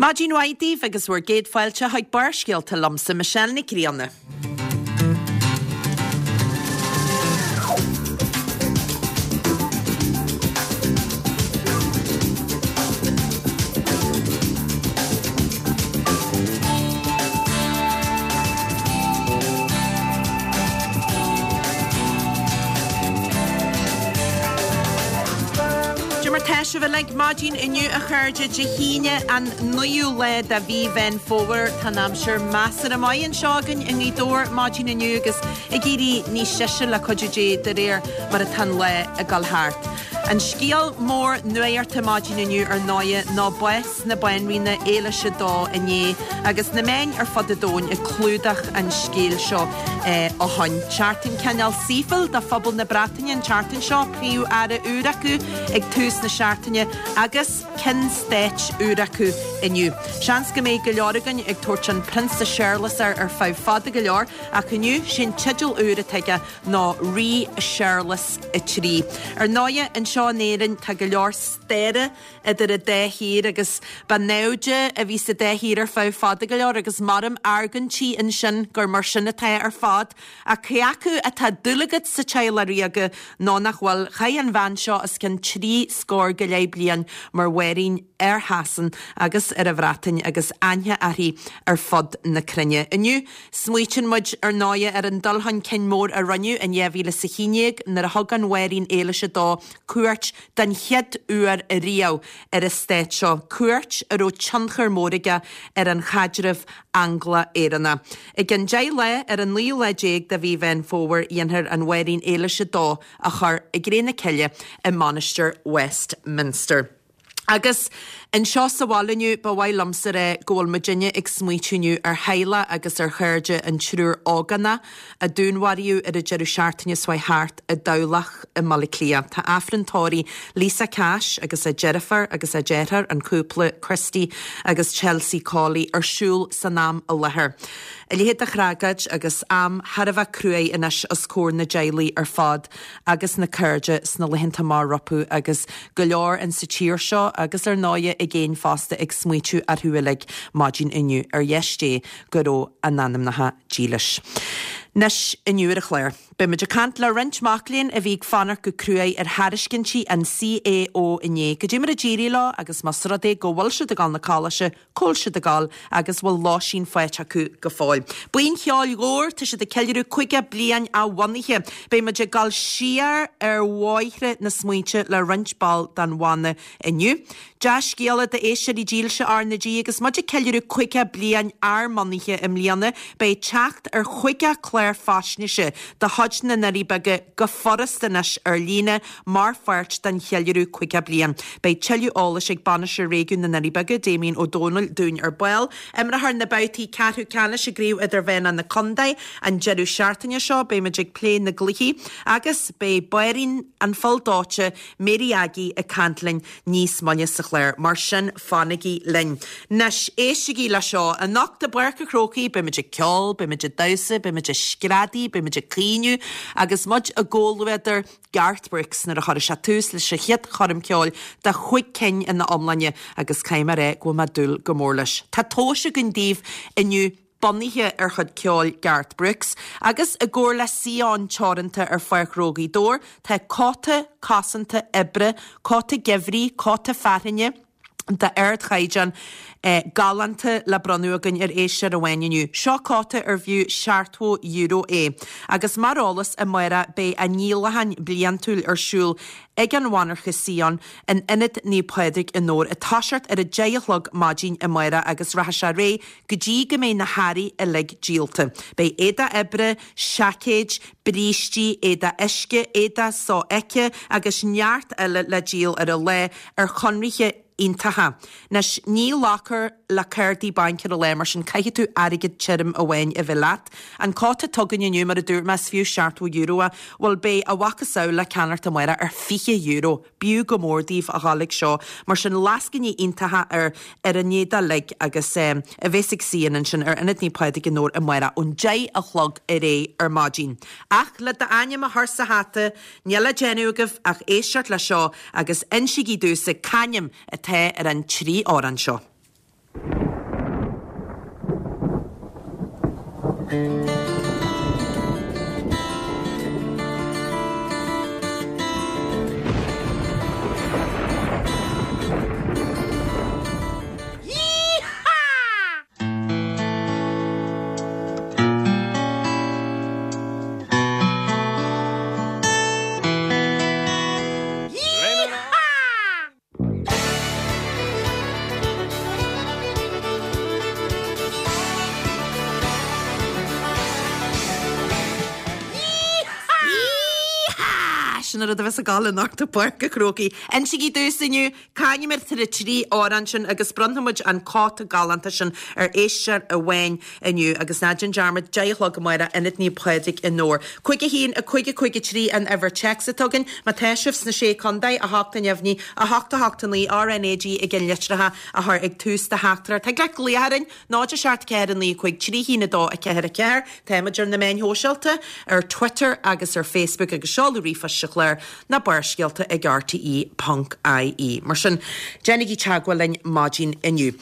Maidin mhaith daoibh agus bhur gcéad fáilte chuig Barrscéalta liomsa, Michelle Nic Grianna. Cad é mar tá sibh uilig maidin inniu a chairde, Dé hAoine an 9ú lá de mhí Mheán Fómhair. Tá an aimsir measartha maith anseo againn i nGaoth Dobhair maidin inniu agus ag éirí níos deise le cuidiú Dé de réir mar atá an lá ag dul thart. An scéal mór nuachta maidin inniu ar ndóighe ná bás na Banríona Éilis a Dó inné agus na meáin ar fud an domhain ag clúdach an scéil seo ó shoin. Seachtain cineál saoithiúil do phobal na Breataine an tseachtain seo, Príomh-Aire úr acu ag tús na seachtaine agus Ceann Stáit úr acu inniu. Seans go mbeidh go leor againn ag tabhairt an Prionsa Séarlas air ar feadh fada go leor ach inniu sé'n teideal úr atá aige ná Rí Séarlas 3. Ar ndóighe, anseo in Éirinn tá go leor staire idir an dá thír agus ba naimhde a bhí sa dá thír ar feadh fada go leor agus mairim argóintí ansin gur mar sin atá ar fad. Ach cé acu atá dúil agat sa teaghlach ríoga nó nach bhfuil, chaith an bhean seo os cionn trí scór go leith bliain mar bhanríon ar Shasain agus ar an Bhreatain agus aithne uirthi ar fud na cruinne. Inniu, Smaoitíonn muid, ar ndóighe, ar an dul chun cinn mór a rinneadh in 2011 nuair a thug an Bhanríon Éilis a Dó cuairt den chéad uair riamh ar an stát seo, cuairt a raibh tionchar mór aige ar an chaidreamh Angla-Éireannach. I gcionn 10 lá, ar an naoú lá déag de mhí Mheán Fómhair, dhéanfar an Bhanríon Éilis a Dó a chur i gcré na cille i Mainistir Westminster. Agus anseo sa bhaile inniu, ba mhaith liomsa a rá go bhfuil muidinne ag smaoitiú inniu ar theaghlach agus ar chairde an triúr ógánach a dúnmharaíodh ar an deireadh seachtaine seo thart i dTamhlacht i mBaile Átha Cliath. Tá Aifreann tórraimh Lisa Cash agus a deirfiúr agus a deartháir, an cúpla Christy agus Chelsea Cawley, ar siúl san am i láthair. A leithéid de thragóid agus am thar a bheith cruaidh anois os comhair na dteaghlaigh ar fad. agus na cairde sna laethanta amach rompu agus go leor in sa tír seo agus ar ndóighe i gcéin fosta ag smaoitiú orthu uilig maidin inniu ar dheis Dé go raibh a n-anamnacha dílis. Anois inniu ar an chlár, beidh muid ag caint le roinnt mac léinn a bhí ag fanacht go cruaidh ar thairiscintí an CAO inné. Goidé mar a d'éirigh leo agus más rud é go bhfuil siad ag dul na coláiste, Cá bhfuil siad ag dul agus bhfuil lóistín faighte acu go fóill. Buíon Cheoil Dhobhair, tá siad ag ceiliúradh 50 bliain a bhunaithe. Beidh muid ag dul siar ar bhóithre na smaointe le roinnt ball den bhanna inniu. Dea-scéala d'éisteoirí dílse R na G agus muid ag ceiliúradh 50 bliain ár mbunaithe i mbliana, beidh teacht ar 50 clár faisnéise de chuid na nDoirí Beaga go furast anois ar líne Mar pháirt den cheiliúradh 50 bliain, beidh tuilleadh eolais ag Bainisteoir Réigiún na nDoirí Beaga, Damien Ó Dónaill, dúinn ar ball. Imreofar na babhtaí ceathrú ceannais i gCraobh Idirmheánach na Contae an deireadh seachtaine seo. Beidh muid ag plé na gcluichí agus beidh Banríon an Phoill Dóite, Mary Aggie, ag caint linn níos moille sa chlár. Mar sin, fanaigí linn. Anois, éistigí le seo. Anocht i bPáirc an Chrócaigh, beidh muid ag ceol, beidh muid ag damhsa, beidh muid ag screadaí, beidh muid ag caoineadh agus muid i gcomhluadar Garth Brooks nuair a chuirfidh sé tús leis a chéad choirm ceoil de chúig cinn ina iomláine agus caithfidh mé a rá go bhfuil mé ag dúil go mór leis. Tá tomhais againn daoibh inniu bunaithe ar chuid ceoil Garth Brooks agus i gcomhar le Sion Teoranta ar Pháirc Ghnó Ghaoth Dobhair tá cóta cosanta oibre, cóta geimhridh, cóta fearthainne, d'ardchaighdeán galánta le bronnadh againn ar éisteoir amháin inniu. Seo cóta ar bhfiú €70 é. Agus mar eolas, amárach beidh a ndíolachán bliantúil ar siúl ag an mhonarcha Sion in Ionad Naomh Pádraig i nDobhar ag toiseacht ar a 10 a chlog maidin amárach agus rachaidh sé ar aghaidh go dtí go mbeidh na hearraí uilig díolta. Beidh éadach oibre, seaicéid, brístí, éadach uisce, éadach sofheicthe agus neart eile le díol ar an lá ar chonarthaí iontacha. Anois, ní ghlacfar le cártaí bainc ar an lá, mar sin caithfidh tú airgead tirim amháin a bheith leat. An cóta atá againn inniu, mar a dúirt mé, is fiú €70 é. Bhuel, beidh a mhacasamhail le ceannacht amárach ar €20. B'fhiú go mór daoibh a dhul ag seo. Mar sin, lascainí iontacha ar ar an éadach uilig agus a bheas ag Sion ansin ar Ionad Naomh Pádraig i nDobhar amárach ón 10 a chlog ar aghaidh ar maidin. Ach le d'ainm a chur sa hata, níl le déanamh agaibh ach éisteacht le seo agus insígí domhsa c'ainm atá ar an dtrí amhrán seo. Yee-haw! Yee-haw! Yee-haw! Sin an rud a bheas ag gabháil anocht i bPáirc an Chrócaigh. Insígí domhsa inniu Cá n-imreofar na 3 amhrán sin agus bronnfaidh muid an cóta galánta sin ar éisteoir amháin inniu agus ná déan dearmad, 10 a chlog amárach, Ionad Naomh Pádraig i nDobhar. 5 1 5 5 3 an uimhir téacs atá againn. Má tá sibh sna Sé Contae, 8 neamhní, 8 8 9 RnaG i gceannlitreacha a chur ag tús do theachtaireacht. Thig leat glaoch orainn, 0 7 4 9 5 3 1 2 4 4. Táimid ar na meáin shóisialta, ar Twitter agus ar Facebook agus seoladh ríomhphoist sa chlár ná Barrscéalta ag rte ponc ie. Mar sin, déanaigí teagmháil linn maidin inniu.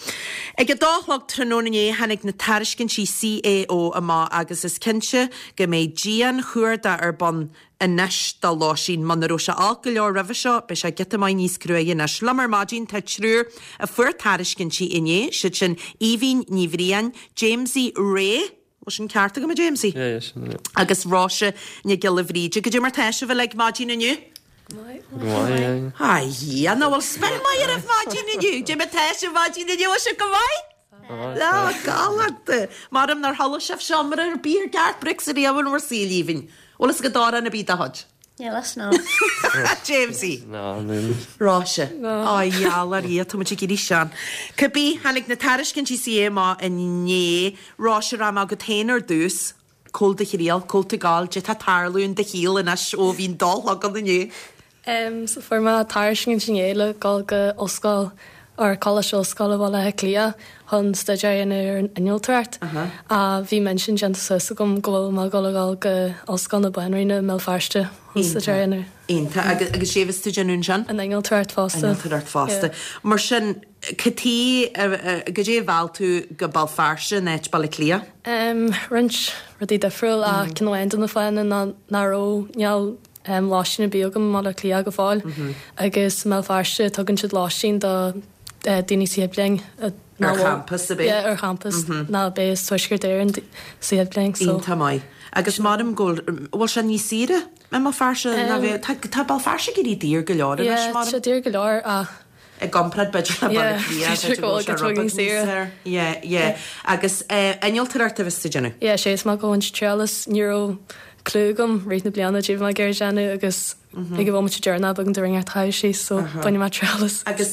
Ag a dó a chlog tráthnóna inné tháinig na tairiscintí CAO amach agus is cinnte go mbeidh dian-chuardach ar bun anois do lóistín. Muna raibh sé olc go leor roimhe seo, beidh sé giota maith níos cruaidhe anois. Liom ar maidin tá triúr a fuair tairiscintí inné, siad sin Aoibhín Ní Bhriain, Jamesie Ray, Bhfuil sin ceart agam, a Jamesie? Yeah, yeah, sin é. Agus Róise Nic Giolla Bhríde. Goidé mar tá sibh uilig maidin inniu? Go maith, yeah. A Dhia, nach bhfuil spiorad maith oraibh maidin inniu? Goidé mar tá sibh maidin inniu, bhfuil sibh go maith? Á, galánta. Maram nár chodlaigh sibh seomra ar bith ar gceart bricse riamh in bhur saol, Aoibhinn. Bhfuil fhios agat amhrán ar bith dá chuid? Níl fhios, no. Jamesie. No, níl. Róise. No. Á, gheall ar Dhia, tá muid ag éirí sean. Cibé, tháinig na tairiscintí CAO amach inné. Róise, rachaidh mé chugat féin ar dtús. Cá bhfuil do thriall, cá bhfuil tú ag gabháil, goidé tá ag tarlú in do shaol anois ó bhí an dó a chlog ann inné. Em, so fuair mé tairiscint inné le dhul go ollscoil or Coláiste Ollscoile Bhaile Átha Cliath chun staidéar a dhéanamh ar an innealtóireacht. Ach bhí m'intinn déanta suas agam go bhfuil mé ag dul a dhul go Ollscoil na Banríona i mBéal Feirste chun staidéar a dhéanamh. Iontach. Agus agus goidé a bheas tú ag déanamh ansin? An innealtóireacht fosta. Innealtóireacht fosta. Mar sin, cad chuige, goidé a mheall tú go Béal Feirste in áit Baile Átha Cliath? Em, roinnt rudaí difriúil ach ceann amháin de na fáthanna ná nach raibh, níl, lóistín ar bith agam i mBaile Átha Cliath go fóill agus i mBéal Feirste tugann siad lóistín do daoine sa chéad bhliain Ar champas ab é? Yeah, ar champas ná beidh as Tuaisceart Éireann sa chéad bhliain so. Iontach maith. Agus maram go bhfuil, bhfuil sé níos saoire i mBéal Feirste ná bheith, tá, tá Béal Feirste ag éirí daor go leor anois Yeah, tá sé daor go leor ach I gcomparáid b'fhéidir le Baile Átha Cliath, b'fhéidir go bhfuil sé rud beag níos saoire. Yeah, yeah. Agus innealtóireacht a bheas tú ag déanamh? Yeah, sé is maith go bhaint triail as, ní raibh clue agam rith na bliana goidé a bhí mé ag iarraidh déanamh agus ag an bhomaite deireanach b'éigean domh rud inteacht a chaitheamh síos so bainfidh mé triail as. Agus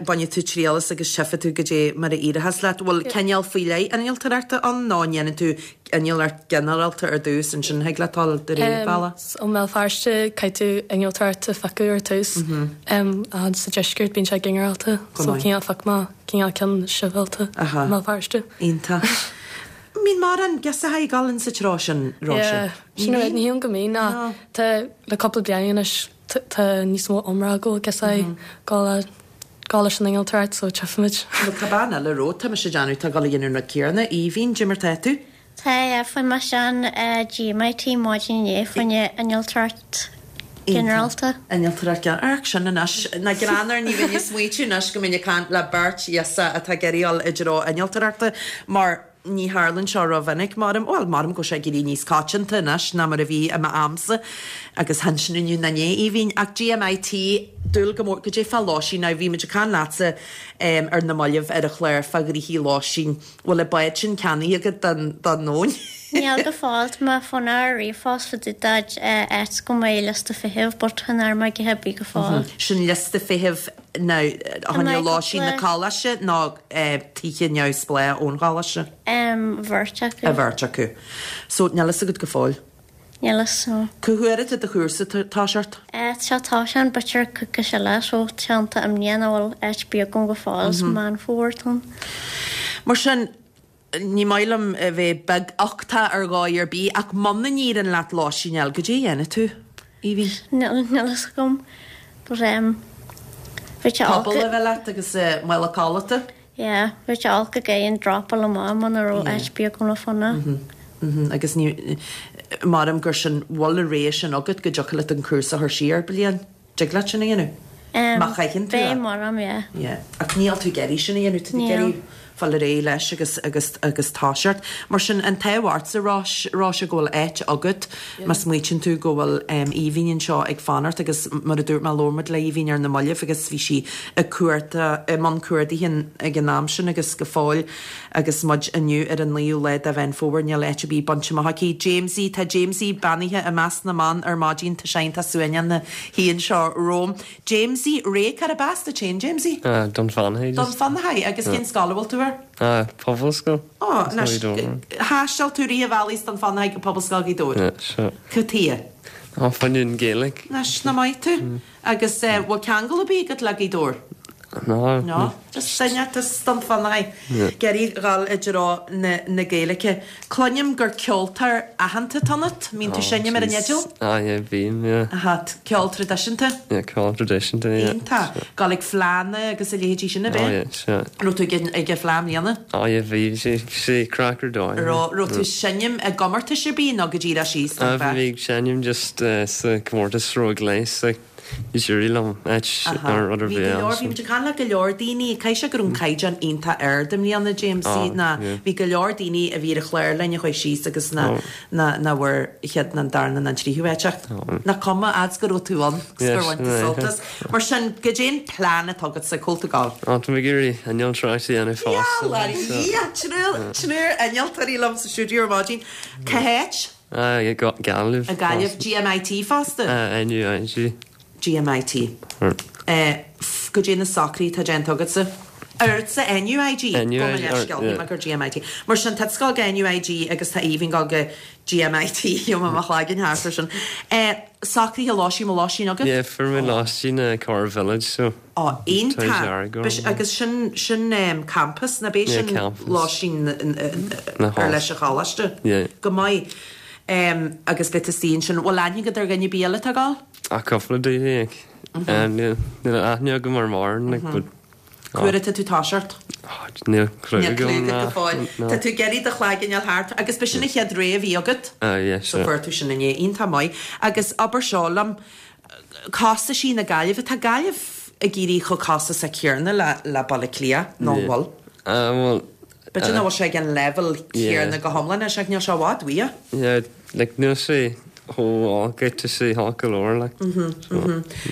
bainfidh tú triail as agus tchífidh tú goidé mar a éireochas leat. Bhfuil cineál faoi leith innealtóireachta ann nó an ndéanann tú innealtóireacht ginearálta ar dtús ansin thig leat dul de réir bealaigh? So i mBéal Feirste caithfidh tú innealtóireacht a phiocadh ar tús ach sa deisceart bíonn sé ginearálta so cineál phioc mé cineál ceann sibhialta i mBéal Feirste. Iontach. Mbíonn mórán girseacha ag dul insa treo sin, Róise? Yeah, sin rud, ní shílim go mbíonn ach tá le cúpla bliain anois tá níos mó iomrá go bhfuil girseachaí ag dul le dul leis an innealtóireacht so tchífimid. Bhuel tá bean eile romhat, tá mise ag déanamh, tá ag dul a dhéanamh an rud céanna, Aoibhinn, goidé mar tá tú? Tá, yeah, fuair mise an GMIT maidin inné, fá choinne innealtóireacht ginearálta. Innealtóireacht ginearálta, amharc sin anois, nach greannmhar, ní bheinn ag smaoitiú anois go mbeinn ag caint le beirt ghirseach atá ag iarraidh dul i dtreo innealtóireachta mar ní tharlaíonn seo rómhinic, maram, bhuel, maram go bhfuil sé ag éirí níos coitianta anois ná mar a bhí i m'amsa agus chan sin inniu ná inné, Aoibhinn. Ach GMIT, dúil go mór, goidé fá lóistín, now bhí muid ag caint leatsa ar na mallaibh ar an chlár fá ghnoithí lóistín, bhfuil an bád sin ceannaithe agat don, don nóin? Níl go fóill, tá mé ag fanacht ar ríomhphost fá dtaobh d'áit go mbeidh liosta feithimh but chan fhuair mé a dhath ar bith go fóill. Sin liosta feithimh now fá choinne lóistín na coláiste nó tithe neamhspleách ón choláiste? An bheirt acu. An bheirt acu. So níl fhios agat go fóill? Níl fhios, no. Cá huair atá do chúrsa ag toiseacht? Tá sé ag toiseacht b'fhéidir coicís eile so tá sé iontach imníoch nach bhfuil áit ar bith agam go fóill is Meán Fómhair atá ann. Mar sin, ní maith liom a bheith beaguchtach ar dhóigh ar bith ach muna n-éiríonn leat lóistín a fháil, goidé a dhéanfaidh tú, Aoibhinn? Níl fhios agam but em bheadh sé olc. Puball a bheith leat agus mála codlata? Yeah, bheadh sé olc ag an dropáil amach muna raibh áit ar bith agam le fanacht. Agus ní, maram gur sin, bhfuil an rogha sin agat go dtiocfadh leat an cúrsa a chur siar bliain? Dtig leat sin a dhéanamh? Má chaitheann tú é. Beidh maram, yeah. Yeah. Ach níl tú ag iarraidh sin a dhéanamh, tá tú ag iarraidh fáil ar aghaidh leis agus, agus, agus toiseacht. Mar sin, an t-ádh ortsa, Róis, Róise, go bhfuil áit agat má smaoitíonn tú go bhfuil Aoibhinn anseo ag fanacht agus mar a dúirt mé, labhair muid le Aoibhinn ar na mallaibh agus bhí sí ag cuarta, i mbun cuardaithe ag an am sin agus go fóill Agus muid inniu ar an 9ú lá de Mheán Fómhair, níl áit ar bith bainte amach aici. Jamesie, tá Jamesie beannaithe i measc na mban ar maidin, tá sé iontach suaimhneach ina shuí anseo romham. Jamesie, ré cárb as duit féin, Jamesie? Dún Fionnachaidh. Dún Fionnachaidh, agus cén scoil a bhfuil tú air? Pobalscoil. Ó, anois, thaisteal tú rith an bhealaigh as Dún Fionnachaidh go Pobalscoil Ghaoth Dobhair? Yeah, sure. Cad chuige? Á, fá choinne an Ghaeilge. Anois, nach maith tú. Agus bhfuil ceangal ar bith agat le Gaoth Dobhair? No. No. Just duine as Dún Fionnachaidh ag iarraidh dhul i dtreo na Gaeilge. Cluinim gur ceoltóir aitheanta atá ionat. Mbíonn tú seinm ar an fhidil? Ah yeah, bím, yeah. Aha, ceol traidisiúnta? Yeah, ceol traidisiúnta, yeah. Iontach. Gabháil ag fleánna agus a leithéidí sin, ab ea? Oh yeah, sure. Raibh tú ag an fleá i mbliana? Oh yeah, bhí, bhí sé craic ar dóigh. Raibh, raibh tú seinm i gcomórtais ar bith nó go díreach síos don fleá? Bhí mé ag seinm just sa comórtas ró gléas, like. D'éirigh liom áit ar rud ar Bhí go leor, bhí muid ag caint le go leor daoine, caithfidh sé go raibh an caighdeán iontach ard i mbliana, Jamesie, ná bhí go leor daoine a bhí ar an chlár linn a chuaigh síos agus ná ná bhfuair chéad ná an darna ná an tríú háit ach nach cuma, fhad 's go raibh tú ann agus gur bhain tú sult as. Mar sin, goidé an plean atá agatsa, cá bhfuil tú ag gabháil? Á, tá mé ag iarraidh innealtóireacht a dhéanamh fosta. Gheall ar Dhia, triúr innealtóirí liom sa stiúideo ar maidin. Cá háit? I Gaillimh. I Gaillimh. GMIT fosta? NUIG. GMIT. Goidé na socruithe atá déanta agatsa? Ortsa NUIG? NUIG. Gabh mo leithscéal, shíl mé gur GMIT. Mar sin, tá tusa ag gabháil go NUIG agus tá Aoibhinn ag gabháil go GMIT, gheobhaidh mé mo chloigeann thart ar sin. Socruithe lóistín, bhfuil lóistín agat? Yeah, fuair mé lóistín i Corr Village so. Ó, iontach. Agus sin, sin campus, ná b'é sin lóistín ar leis an choláiste? Go maith. Agus beidh tú istigh ansin. Bhfuil aithne agat ar dhuine ar bith eile atá ag gabháil? Ah, cúpla daoine, like. Níl aithne agam ar mórán, like, but. Cá huair atá tú toiseacht? Níl clue agam. Níl clue agat go fóill. Tá tú ag iarraidh do chloigeann a fháil thart agus b'é sin an chéad rogha a bhí agat? Ah, yeah, sure. So fuair tú sin inné. Iontach maith. Agus abair seo liom, Costaisí na Gaillimhe, tá Gaillimh ag éirí chomh costasach céanna le le Baile Átha Cliath, nó an bhfuil? Ah, bhuel. B'fhéidir nach bhfuil sé ag an leibhéal céanna go hiomlán anois ach níl sé i bhfad uaidh. Yeah, like níl sé chomh olc, tá sé olc go leor, like.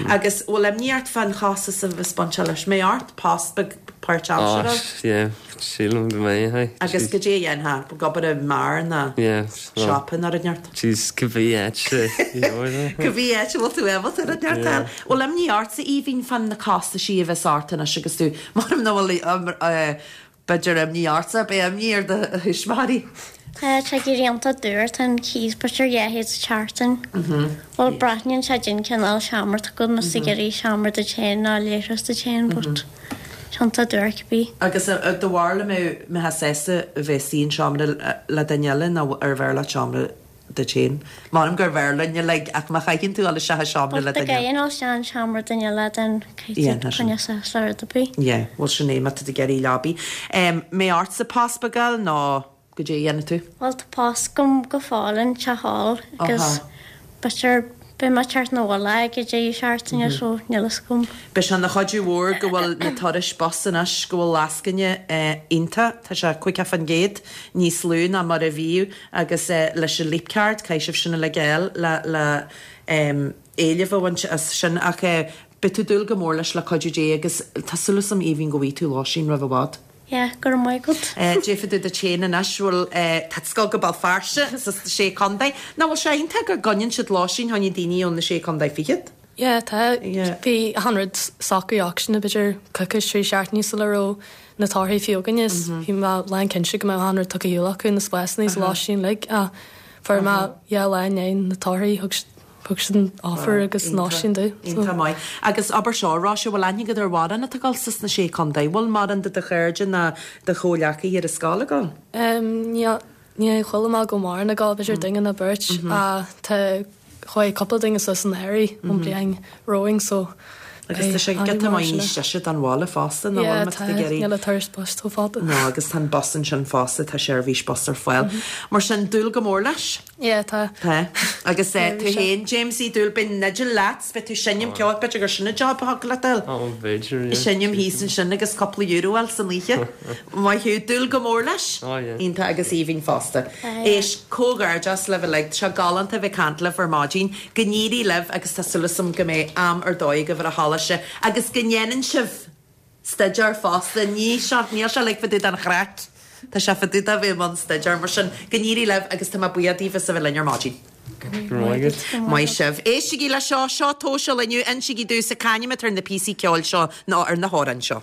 Agus bhfuil imní ort fán chostas a bheas bainteach leis? Mbeidh ort post beag páirtaimseartha? Ah, yeah, sílim go mbeidh, aye. Agus goidé a dhéanfá? Ag obair i mbeár nó siopa nó rud inteacht? Jeez, cibé áit a Cibé áit a bhfuil tú ábalta rud inteacht a fháil. Bhfuil imní ortsa, Aoibhinn, fán na costaisí a bheas ort anois agus tú, maram nach bhfuil B'fhéidir imní ortsa, beidh imní ar do thuismitheoirí. Tá sé ag éirí iontach daor, tá an cíos b'fhéidir 200 sa tseachtain. Bhuel breathnaíonn sé dian cineál seomra atá agat más ag iarraidh seomra duit féin nó leithreas duit féin but tá iontach daor cibé. Agus do bharúil an mbeifeá sásta a bheith istigh i seomra le duine eile nó arbh fhearr leat seomra duit féin. M'anam gurbh fhearr linn uilig, ach má chaitheann tú dul isteach i seomra le duine. But dá gcaithfinn dul isteach i seomra duine eile then caithfidh tú coinneáil suas le rud ar bith. Yeah, bhuel sin é, má tá tú ag iarraidh leabaí. Mbeidh ortsa post beag a fháil nó goidé a dhéanfaidh tú? Bhuel tá post agam go fóill in teach óil agus b'fhéidir beidh mé ag teacht 'na bhaile ag an deireadh seachtaine so níl fhios agam. Beidh sé ina chuidiú mhór go bhfuil na turais bus anois, go bhfuil lascaine iontach, tá sé 50% níos lú ná mar a bhíodh Agus leis an Leap Card, caithfidh sibh sin uilig a fháil le le éileamh a bhaint as sin. Ach beidh tú ag dúil go mór leis le cuidiú Dé agus tá súil agam Aoibhinn go bhfaighidh tú lóistín roimh i bhfad. Yeah, go raibh maith agat. Déarfaidh tú duit féin anois, bhuel, tá tú ag gabháil go Béal Feirste sa Sé Chontae. Nach bhfuil sé iontach go gcoinníonn siad lóistín fá choinne daoine ó na Sé Chontae Fichead? Yeah, tá. Bhí achan rud socraithe acusan b'fhéidir coicís, 3 seachtainí sula raibh na torthaí fiú againn is bhí mé lán cinnte go mbeadh achan rud tugtha ar shiúl acu, na spásanna is lóistín uilig ach fuair mé yeah lá i ndiaidh na torthaí thug thug siad an offer agus an lóistín domh. Iontach maith. Agus abair seo, Róise, bhfuil aithne agat ar mhórán atá ag dul sna Sé Chontae? Bhfuil mórán de do chairde ná do chomhghleacaithe ar an scoil ag dul? Níl. Níor chuala mé go bhfuil mórán ag gabháil, b'fhéidir duine nó beirt, ach tá, chuaigh cúpla duine suas anuraidh ón bliain romhainn so. Agus tá sé giota maith níos deise don bhaile fosta, nach bhfuil, má tá tú ag iarraidh. Níl an turas bus chomh fada. No, agus tá an bus ansin fosta, tá seirbhís bus ar fáil. Mar sin, dúil go mór leis? Yeah, tá. Tá. Agus tú féin, Jamesie, dúil, beidh Nigel leat, beidh tú seinm ceoil, b'fhéidir gur sin an job a thiocfadh leat a fháil. Ó, b'fhéidir, yeah. Seinm thíos ansin agus cúpla euro a fháil san oíche. Maith thú, dúil go mór leis? Oh yeah. Iontach agus aoibhinn fosta. Éist, comhghairdeas libh uilig, tá sé galánta a bheith ag caint libh ar maidin. Go n-éirí libh agus tá súil agam go mbeidh am ar dóigh agaibh ar an choláiste agus go ndéanann sibh staidéar fosta. Ní seo, níl sé uilig fá dtaobh den chraic, tá sé fá dtaobh de bheith i mbun staidéir. Mar sin, go n-éirí libh agus tá mé buíoch daoibh as a bheith linn ar maidin. Go raibh maith agat. Maith sibh. Éistigí le seo, seo tomhas an lae inniu, insígí domhsa c'ainm atá ar na píosaí ceoil seo nó ar na hamhráin seo.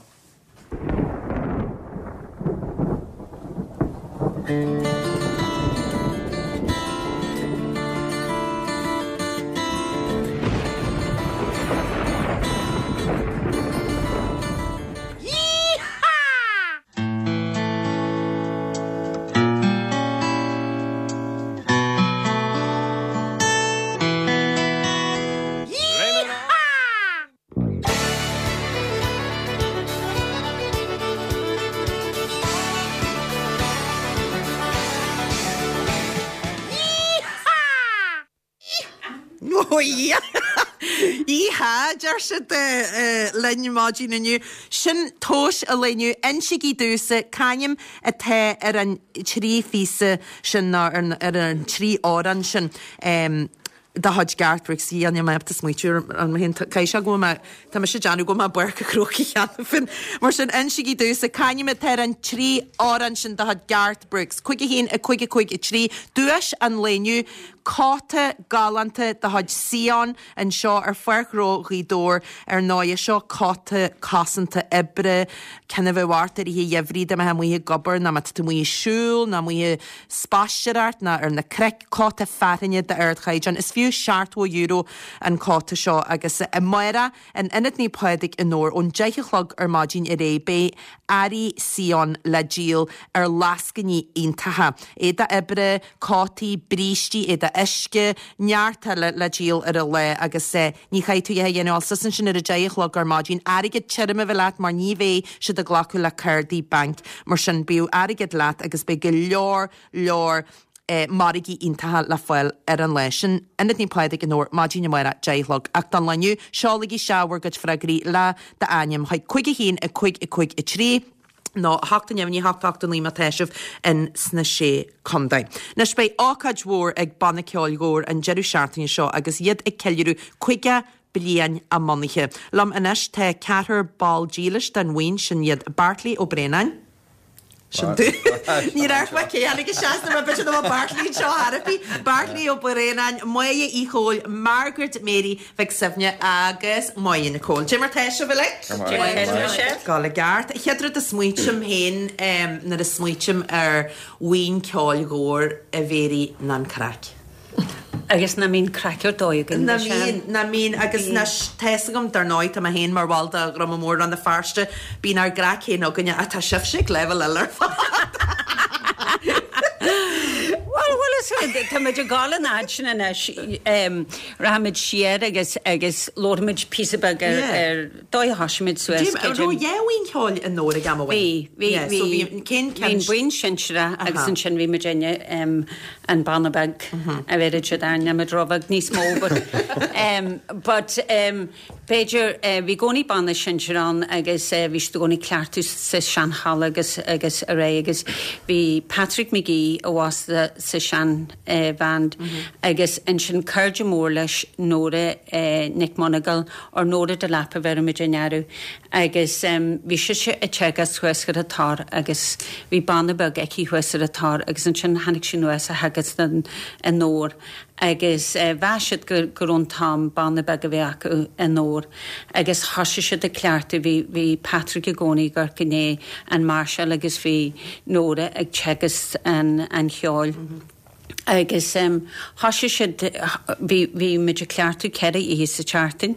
Yee-haw! Yee-haw! Yee-haw, deir siad linn maidin inniu. Sin tomhas an lae inniu. Insígí domhsa c'ainm atá ar an trí phíosa sin nó ar an trí amhrán sin. De chuid Garth Brooks, a níl mé ábalta smaoitiú ar mé féin, caithfidh sé go bhfuil mé, tá mise ag déanamh go bhfuil mé i bPáirc an Chrócaigh cheana féin. Mar sin, insígí domhsa, c'ainm atá ar an trí amhrán sin de chuid Garth Brooks? 5 1 5 5 3, Duais an lae inniu, cóta galánta de chuid Sion anseo ar Pháirc Ghnó Ghaoth Dobhair, ar ndóighe, seo cóta cosanta oibre, ceann a bheadh ort i rith an gheimhridh dá mbeifeá amuigh ag obair nó má tá tú amuigh ag siúl nó amuigh ag spaisteoireacht ná ar na cnoic, cóta fearthainne d'ardchaighdeán. Is fiú €70 an cóta seo agus amárach in Ionad Naomh Pádraig i nDobhar ón deich a chlog ar maidin ar aghaidh beidh earraí Sion le díol ar lascainí iontacha. Éadach oibre, cótaí, brístí, éadach uisce, neart eile le díol ar an lá agus ní chaithfidh tú a dhath a dhéanamh ach dul suas ansin ar a deich a chlog ar maidin. Airgead tirim a bheith leat mar ní bheidh siad ag glacadh le cártaí bainc. Mar sin bíodh airgead leat agus beidh go leor leor margaí iontacha le fáil ar an lá sin. Ionad Naomh Pádraig i nDobhar, maidin amárach, 10 a chlog. Ach don lá inniu, seolaigí isteach bhur gcuid freagraí le d'ainm chuig 5 1 5 5 3 nó 8 9 8 8 9 má tá sibh in sna Sé Contae. Anois beidh ócáid mhór ag Banna Ceoil Dhobhair an deireadh seachtaine seo agus iad ag ceiliúradh 50 bliain a mbunaithe. Liom anois tá ceathrar ball dílis den bhuíon, sin iad Beairtlí Ó Braonáin, Sin tú. Ní raibh mé cé tháinig isteach sna b'fhéidir nach bhfuil Beairtlí anseo ar bith. Beairtlí Ó Braonáin, Máire Uí Chomhaill, Margaret Mary Mhic Suibhne agus Máire Nic Cóil. Cad é mar tá sibh uilig? Gabháil i gceart. Chéad rud a smaoitím féin nuair a smaoitím ar bhuíon ceoil Dhobhair a Mhéirí ná an craic. Agus nach mbíonn craic ar dóigh againn Nach mbíonn, nach mbíonn agus anois tá fhios agam dar ndóigh tá mé féin mar bhall de Dhruma Mór Rann na Feirste, bíonn ár gcraic féin againne ach tá sibhse ag leibhéal eile ar fad. Bhuel, bhfuil fhios agat, tá muid ag dul an fhad sin anois, rachaimid siar agus agus labharfaimid píosa beag ar ar dóigh a thosaigh muid suas. An raibh dhá bhuíon cheoil i nDobhar ag am amháin? Bhí, bhí, bhí. So bhí, cén ceann? Bhí an bhuíon sinsearach agus ansin bhí muid inne an banna beag a bheireadh siad orainn, níl muid róbheag níos mó but but b'fhéidir bhí i gcónaí banna sinsir ann agus bhí siad i gcónaí ag cleachtadh sa seanhalla agus agus ar aghaidh agus bhí Patrick McGee abhus sa sean bhand agus ansin cairde mór leis Nóra Nic Monagle or Nóra Delap a bheireadh muid air agus bhí sise ag teagasc thuas ar an Tor agus bhí banna beag aici thuas ar an Tor agus ansin tháinig sí anuas a theagasc i nDobhar agus mheas siad go go raibh an t-am banna beag a bheith acu i nDobhar agus thosaigh siad ag cleachtadh bhí bhí Patrick i gcónaí ag amharc i ndiaidh an máirseáil agus bhí Nóra ag teagasc an an cheoil agus thosaigh siad bhí bhí muid ag cleachtadh ceithre oíche sa tseachtain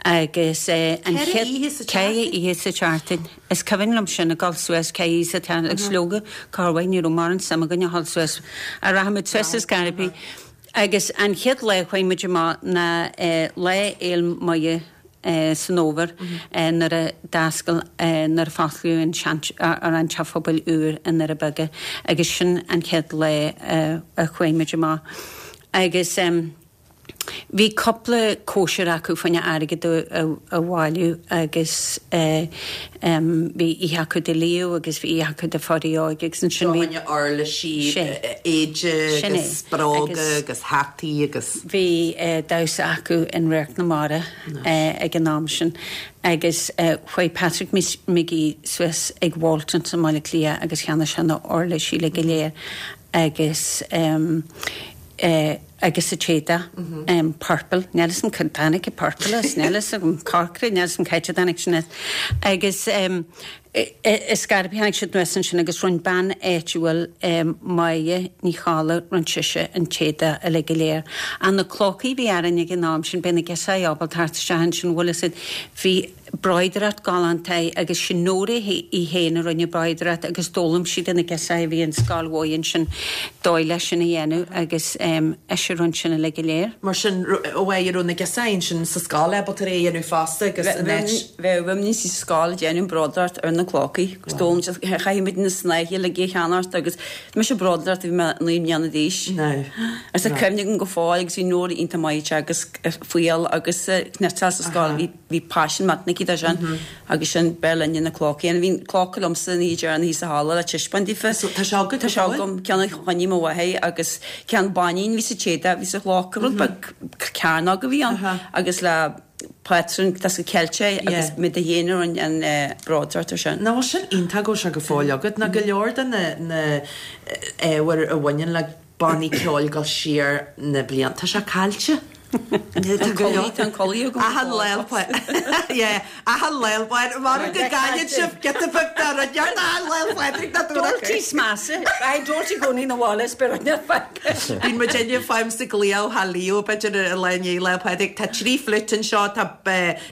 agus an Ceithre oíche sa ceithre tseachtain? oíche sa tseachtain. Is cuimhin liom sin ag dul suas ceithre oíche sa tseachtain agus leoga corr mhaith ní raibh mórán suim againn a dhul suas ach rachadh muid suas is scairbí agus an chéad lá a chuaigh muid amach ná Lá Fhéil Muire. san fhómhar nuair a d'oscail, nuair a fosclaíodh an sean, ar an teach phobail úr i nDoirí Beaga agus sin an chéad lá a chuaigh muid amach agus. Bhí cúpla cóisir acu fá choinne airgead a bhailiú agus bhí oíche acu do Leo agus bhí oíche acu do Pháidí Óg agus ansin bhí. Fá choinne uirlisí, éide agus bróga agus hataí agus. Bhí damhsa acu in Radharc na Mara ag an am sin agus chuaigh Patrick McGee suas ag Waltons i mBaile Átha Cliath agus cheannaigh sé na huirlisí uilig go léir agus agus an t-éadach purple, níl 'fhios a'm cá dtáinig an purple as, níl 'fhios agam, corcra, níl 'fhios a'm cá háit a dtáinig sin as. Agus is scairp tháinig siad anuas ansin agus rinn bean áitiúil Máire Ní Cholla, rinn sise an t-éadach uilig go léir. Ach na clócaí a bhí orainn ag an am sin, beidh na girseachaí ábalta theacht isteach ansin, bhfuil 'fhios a'd, bhí bróidreacht galánta agus sin Nóra í féin a rinne bróidreacht agus d'fhoghlaim sí de na girseachaí a bhí an scoil mhaith ansin dóigh leis sin a dhéanamh agus ise a rinne sin uilig go léir. Mar sin, ó mhaith, raibh na girseachaí ansin sa scoil ábalta é a dhéanamh fosta agus an áit. Bheadh muidne sa scoil ag déanamh bróidreacht ar na clócaí agus d'fhoghlaim siad, chaithfidh muid na snáithe uilig a cheannacht agus mise bróidreacht bhí mé 9 mbliana d'aois. Agus tá cuimhne agam go fóill agus bhí Nóra iontach maith ag teagasc fuíoll agus cniotáil sa scoil, bhí Bhí paisean maith aici dó sin agus sin b'fhearr linne na clócaí. Bhí clóca liomsa an oíche deireanach thíos sa halla le taispeáint daofa. So tá sé agat Tá sé agam, ceann a choinnigh mo mháthair agus ceann bainín a bhí sa téada, bhí sa chlóca, rud beag cearnóg a bhí ann agus le pátrún cosúil Ceilteach agus muid féin a rinne an bróidreacht ar sin. Nach bhfuil sin iontach go bhfuil sé go fóill agat. Ná go leor de na na ábhair a bhaineann le bannaí ceoil dul siar na blianta. Tá sé caillte. Tá go leor. Tá an culaith agam. Achan lá Yeah, achan lá Mara go gcailleann sibh giota beag dá rud neart achan lá Phádraig ná dúradh. Dúirt sí smeasa. Aye, dúirt i gcónaí na bhaile is beir an faic. Bíonn muid inniu fáim sa gcliabh thá Leo b'fhéidir ar lá i ndiaidh Lá Pádraig. Tá 3 fliúit anseo, tá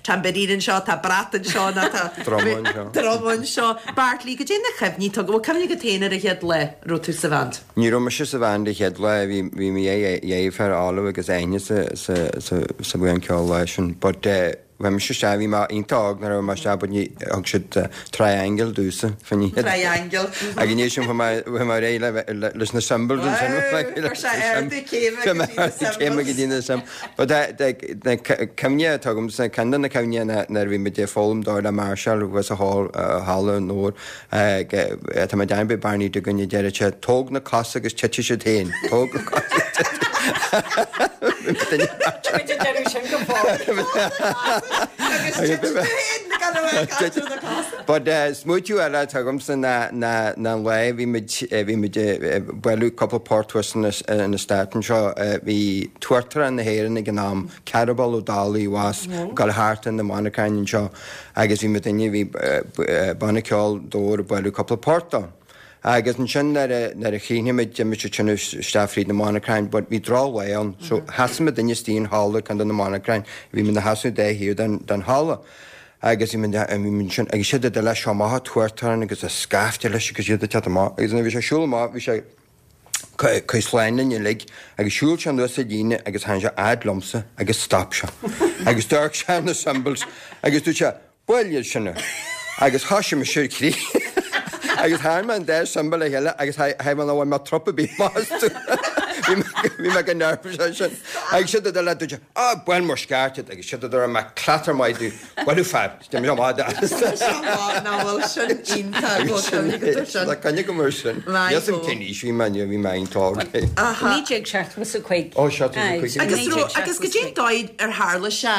tambourine anseo, tá brat anseo nó tá Druma anseo. druma anseo. Bartley, goidé na cuimhní atá agat? Bhfuil cuimhne agat féin ar an chéad lá a raibh tú sa bhand? Ní raibh mise sa bhand an chéad lá, bhí bhí mo dheirfiúr Olive agus Áine sa sa sa sa bhuíon ceoil an lá sin but eh bhí mise isteach, bhí mé iontach óg nuair a bhí mé isteach but ní thug siad triangle domhsa fá choinne Triangle. Agus i ndiaidh sin chuaigh mé chuaigh mé ar aghaidh le le leis na cymbals ansin. Wow, chuir sé ardú céime go dtí na cymbals. Céime go dtí na cymbals. But na cuimhne atá agamsa, ceann de na cuimhne ná nuair a bhí muid ag foghlaim dóigh le máirseáil thuas sa hall halla an Fhómhair Tá mé ag déanamh Barney Duggan a deireadh sé, tóg na cosa agus titfidh siad féin. Tóg na cosa agus titfidh But smaoitiú eile atá agamsa ná ná an lá bhí muid bhí muid ag bualadh cúpla port thuas in eastát anseo. Bhí tUachtarán na hÉireann ag an am, Cearbhall Ó Dálaigh abhus, ag dul thart in na Manchain anseo. Agus bhí muidinne, bhí banna ceoil Dobhar ag bualadh cúpla port dó. Agus ansin nuair a, nuair a chríochnaigh muid, d'imigh siad sin isteach fríd na monarchain but bhí droch-lá ann so sheasaigh muidinne istigh in halla ceann de na monarchain, bhí muid ina sheasamh dá thaobh den, den halla. Agus bhí muid, bhí muid ansin, agus siad ag dul leis seo amach an tUachtarán agus a scaifte leis agus iad ag teacht amach agus nuair a bhí sé ag siúl amach bhí sé, Cuir slán linn uilig agus shiúil sé anuas an líne agus tháinig sé fhad liomsa agus stop sé agus d'amharc sé ar na cymbals agus dúirt sé Buail iad sin agus thoisigh mise ar crith agus tharraing mé an dá cymbal le chéile agus thaibh mé nach bhfuil mé trup ar bith amach astu. Bhí mé go nervous ansin agus siad ag dul le dúirt sé Á buail mar is ceart iad agus siad ag dul raibh mé clatar maith dú Bhuel fear, déan mé maith de. Nach bhfuil sin iontach go cuimhne go dtúr sin. Tá coinne go mar sin. Maith Níl 'fhios a'm cén aois bhí mé bhí mé iontach óg. 1975. Ó 75. Agus raibh agus goidé an dóigh ar tharla sé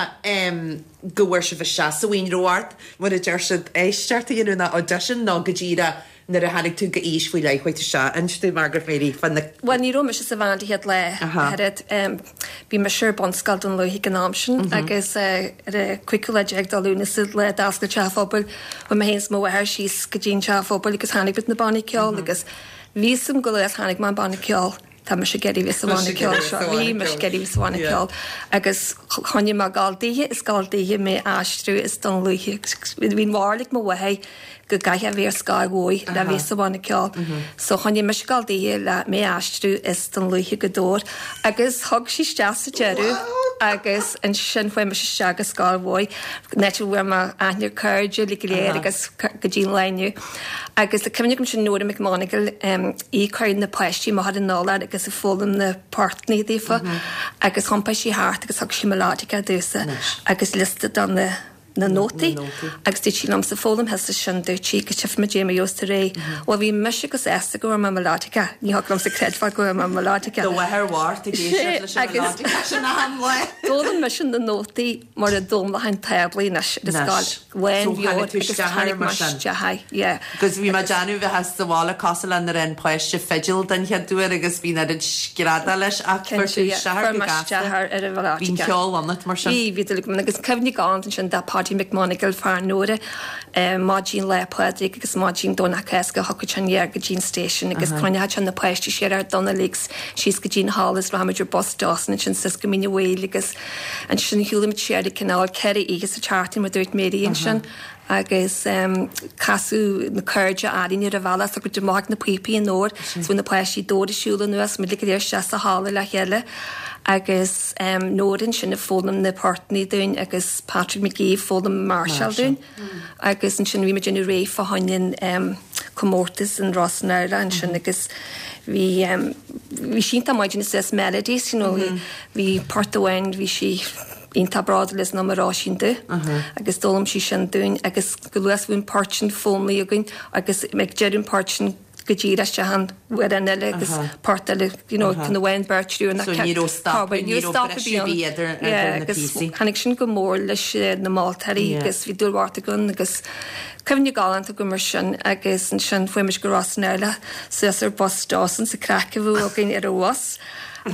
go bhfuair sibh isteach sa bhuíon raibh ort mar a deir siad éisteacht a dhéanamh nó audition nó go díreach Nuair a tháinig tú go aois faoi leith, chuaigh tú isteach. Inis dúinn, Margaret Mary, fá na. Bhuel, ní raibh mise sa bhand an chéad lá, ach oiread. Bhí mise ar bunscoil Dún Lúiche ag an am sin agus ar an cúigiú lá déag de Lúnasa, lá a d'oscail an Teach Phobail, chuaigh mé féin is mo mháthair síos go dtí an Teach Phobail agus tháinig muid na bannaí ceoil agus bhí 'fhios a'm go luath tháinig mé an banna ceoil. Tá mise ag iarraidh bheith sa bhanna ceoil seo. Bhí mise ag iarraidh bheith sa bhanna ceoil agus choinnigh mé ag gabháil daoithe is gabháil daoithe mé a aistriú as Dún Lúiche. Bhí an bharúil ag mo mháthair go gcaithfeá bheith ar scoil mhaith le bheith sa bhanna ceoil. So choinnigh mise ag gabháil daoithe le mé a aistriú as Dún Lúiche go Dobhar agus thug sí isteach sa deireadh. Agus ansin chuaigh mise isteach go scoil mhaith, an áit a bhfuair mé aithne ar cairde uilig go léir agus go dtí an lá inniu. Agus tá cuimhne agam sin Nóra McMonagle, í ag cur na páistí amach ar an urlár agus ag foghlaim na portanna daofa agus thiompaigh sí thart agus thug sí melodica domhsa agus liosta de na na nótaí agus dúirt sí liomsa foghlaim thusa sin dúirt sí go tchífimid cad é mar a gheobhas tú ar aghaidh. Bhuel bhí mise chomh sásta go bhfuair mé melodica, ní thiocfadh liomsa creidbheáil go bhfuair mé melodica. Do mháthair bhocht ag éisteacht leis an melodica sin achan lá. D'fhoghlaim mise na nótaí mar a d'fhoghlaimeoinn táblaí anois ar an scoil. Lán bheo agus tháinig mé isteach air, yeah. Agus bhí mé ag déanamh bheith sa bhaile cosúil le nuair a fhaigheann páiste fidil den chéad uair agus bhí an oiread screadaíl leis ach fuair tú isteach air go gasta. Bhí an ceol ionat mar sin. Bhí, bhí dúil agam agus cuimhne galánta ansin de Paddy McMonagle, fear Nóra, maidin Lá Pádraig agus maidin Domhnach Cásca thiocfadh sé aniar go dtí an station agus choinneodh sé na páistí siar ar Donnelly's síos go dtí an halla is rachaidh muid ar bus Dawson ansin suas go Mín an Mhaoil agus Ansin shiúlaigh muid siar ag cineál 4 oíche sa tseachtain mar dúirt Mary ansin agus casadh na cairde orainn ar an bhealach so go amach ag na píopaí an uair so bhí na páistí dóibh ag siúl anuas muid go léir isteach sa halla le chéile agus Nóra ansin ag foghlaim na portanna dúinn agus Patrick McGee ag foghlaim máirseáil dúinn agus ansin bhí muid ag déanamh réidh fá choinne an comórtas in Ros an Airleach ansin agus bhí bhí sí iontach maith ag déanamh suas melodies you know Bhí port amháin, bhí sí iontach bródúil as an Róisín Dubh agus d'fhoghlaim sí sin dúinn agus go luath is a bhí an port sin foghlamtha againn agus ag deireadh an port sin go díreach isteach an amhrán eile agus port eile, you know, ceann amháin, beirt, triúr nó So ní raibh stop, ní raibh briseadh ar bith idir na agus píosaí. Tháinig sin go mór leis na moltóirí agus bhí dúil mhór againn agus cuimhne galánta agam ar sin agus ansin fuair muid go Ros an Airleach suas ar bus Dawson sa craic a bhí againn ar an bhus.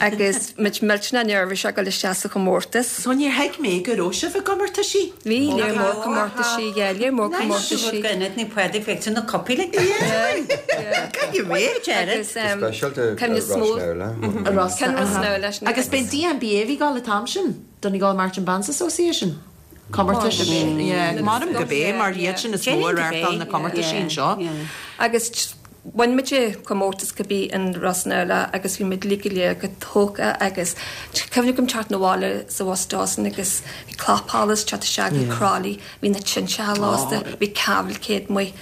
Agus muid millteanach neirbhíseach ag dul isteach sa chomórtas. So níor thuig mé go raibh sibh i gcomórtaisí? Bhí, léar mór comórtaisí, yeah, léar mór comórtaisí. Agus Agus b'é DMBA a bhí ag dul an t-am sin? Donegal Marching Bands Association? Comórtais, yeah, Maram go b'é mar iad sin is mó a reáchtáil na comórtaisí anseo. Agus Bhain muid comórtas cibé in Ros an Airleach agus bhí muid uilig go léir go tógtha agus cuimhne agam teacht 'na bhaile sa bhus Dawson agus bhí clapsholas teacht isteach go Crolly, bhí na tinteacha lasta, bhí cavalcade amuigh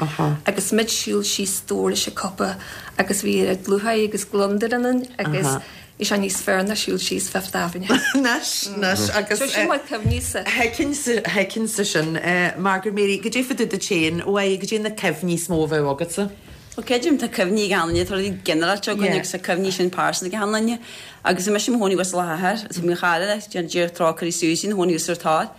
agus muid siúl síos leis an cupa agus bhí lúcháir agus gliondar ionainn agus Bhí sé níos fearr ná siúl síos Fifth Avenue. Anois, anois, agus. So sin mar cuimhní-sa. Thuigfinnse sin. Margaret Mary, goidé fá dtaobh duit féin, uaidh, goidé na cuimhní is mó a bheadh agatsa? Bhuel, creidim, tá cuimhní ag achan duine, tá rudaí ginearálta againn agus tá cuimhní sin pearsanta ag achan duine. Agus bhí mise i mo chónaí thuas i Loch Eachach, agus bhí mo chara, Dia trócaire uirthi Susie, ina chónaí thuas ar an tor.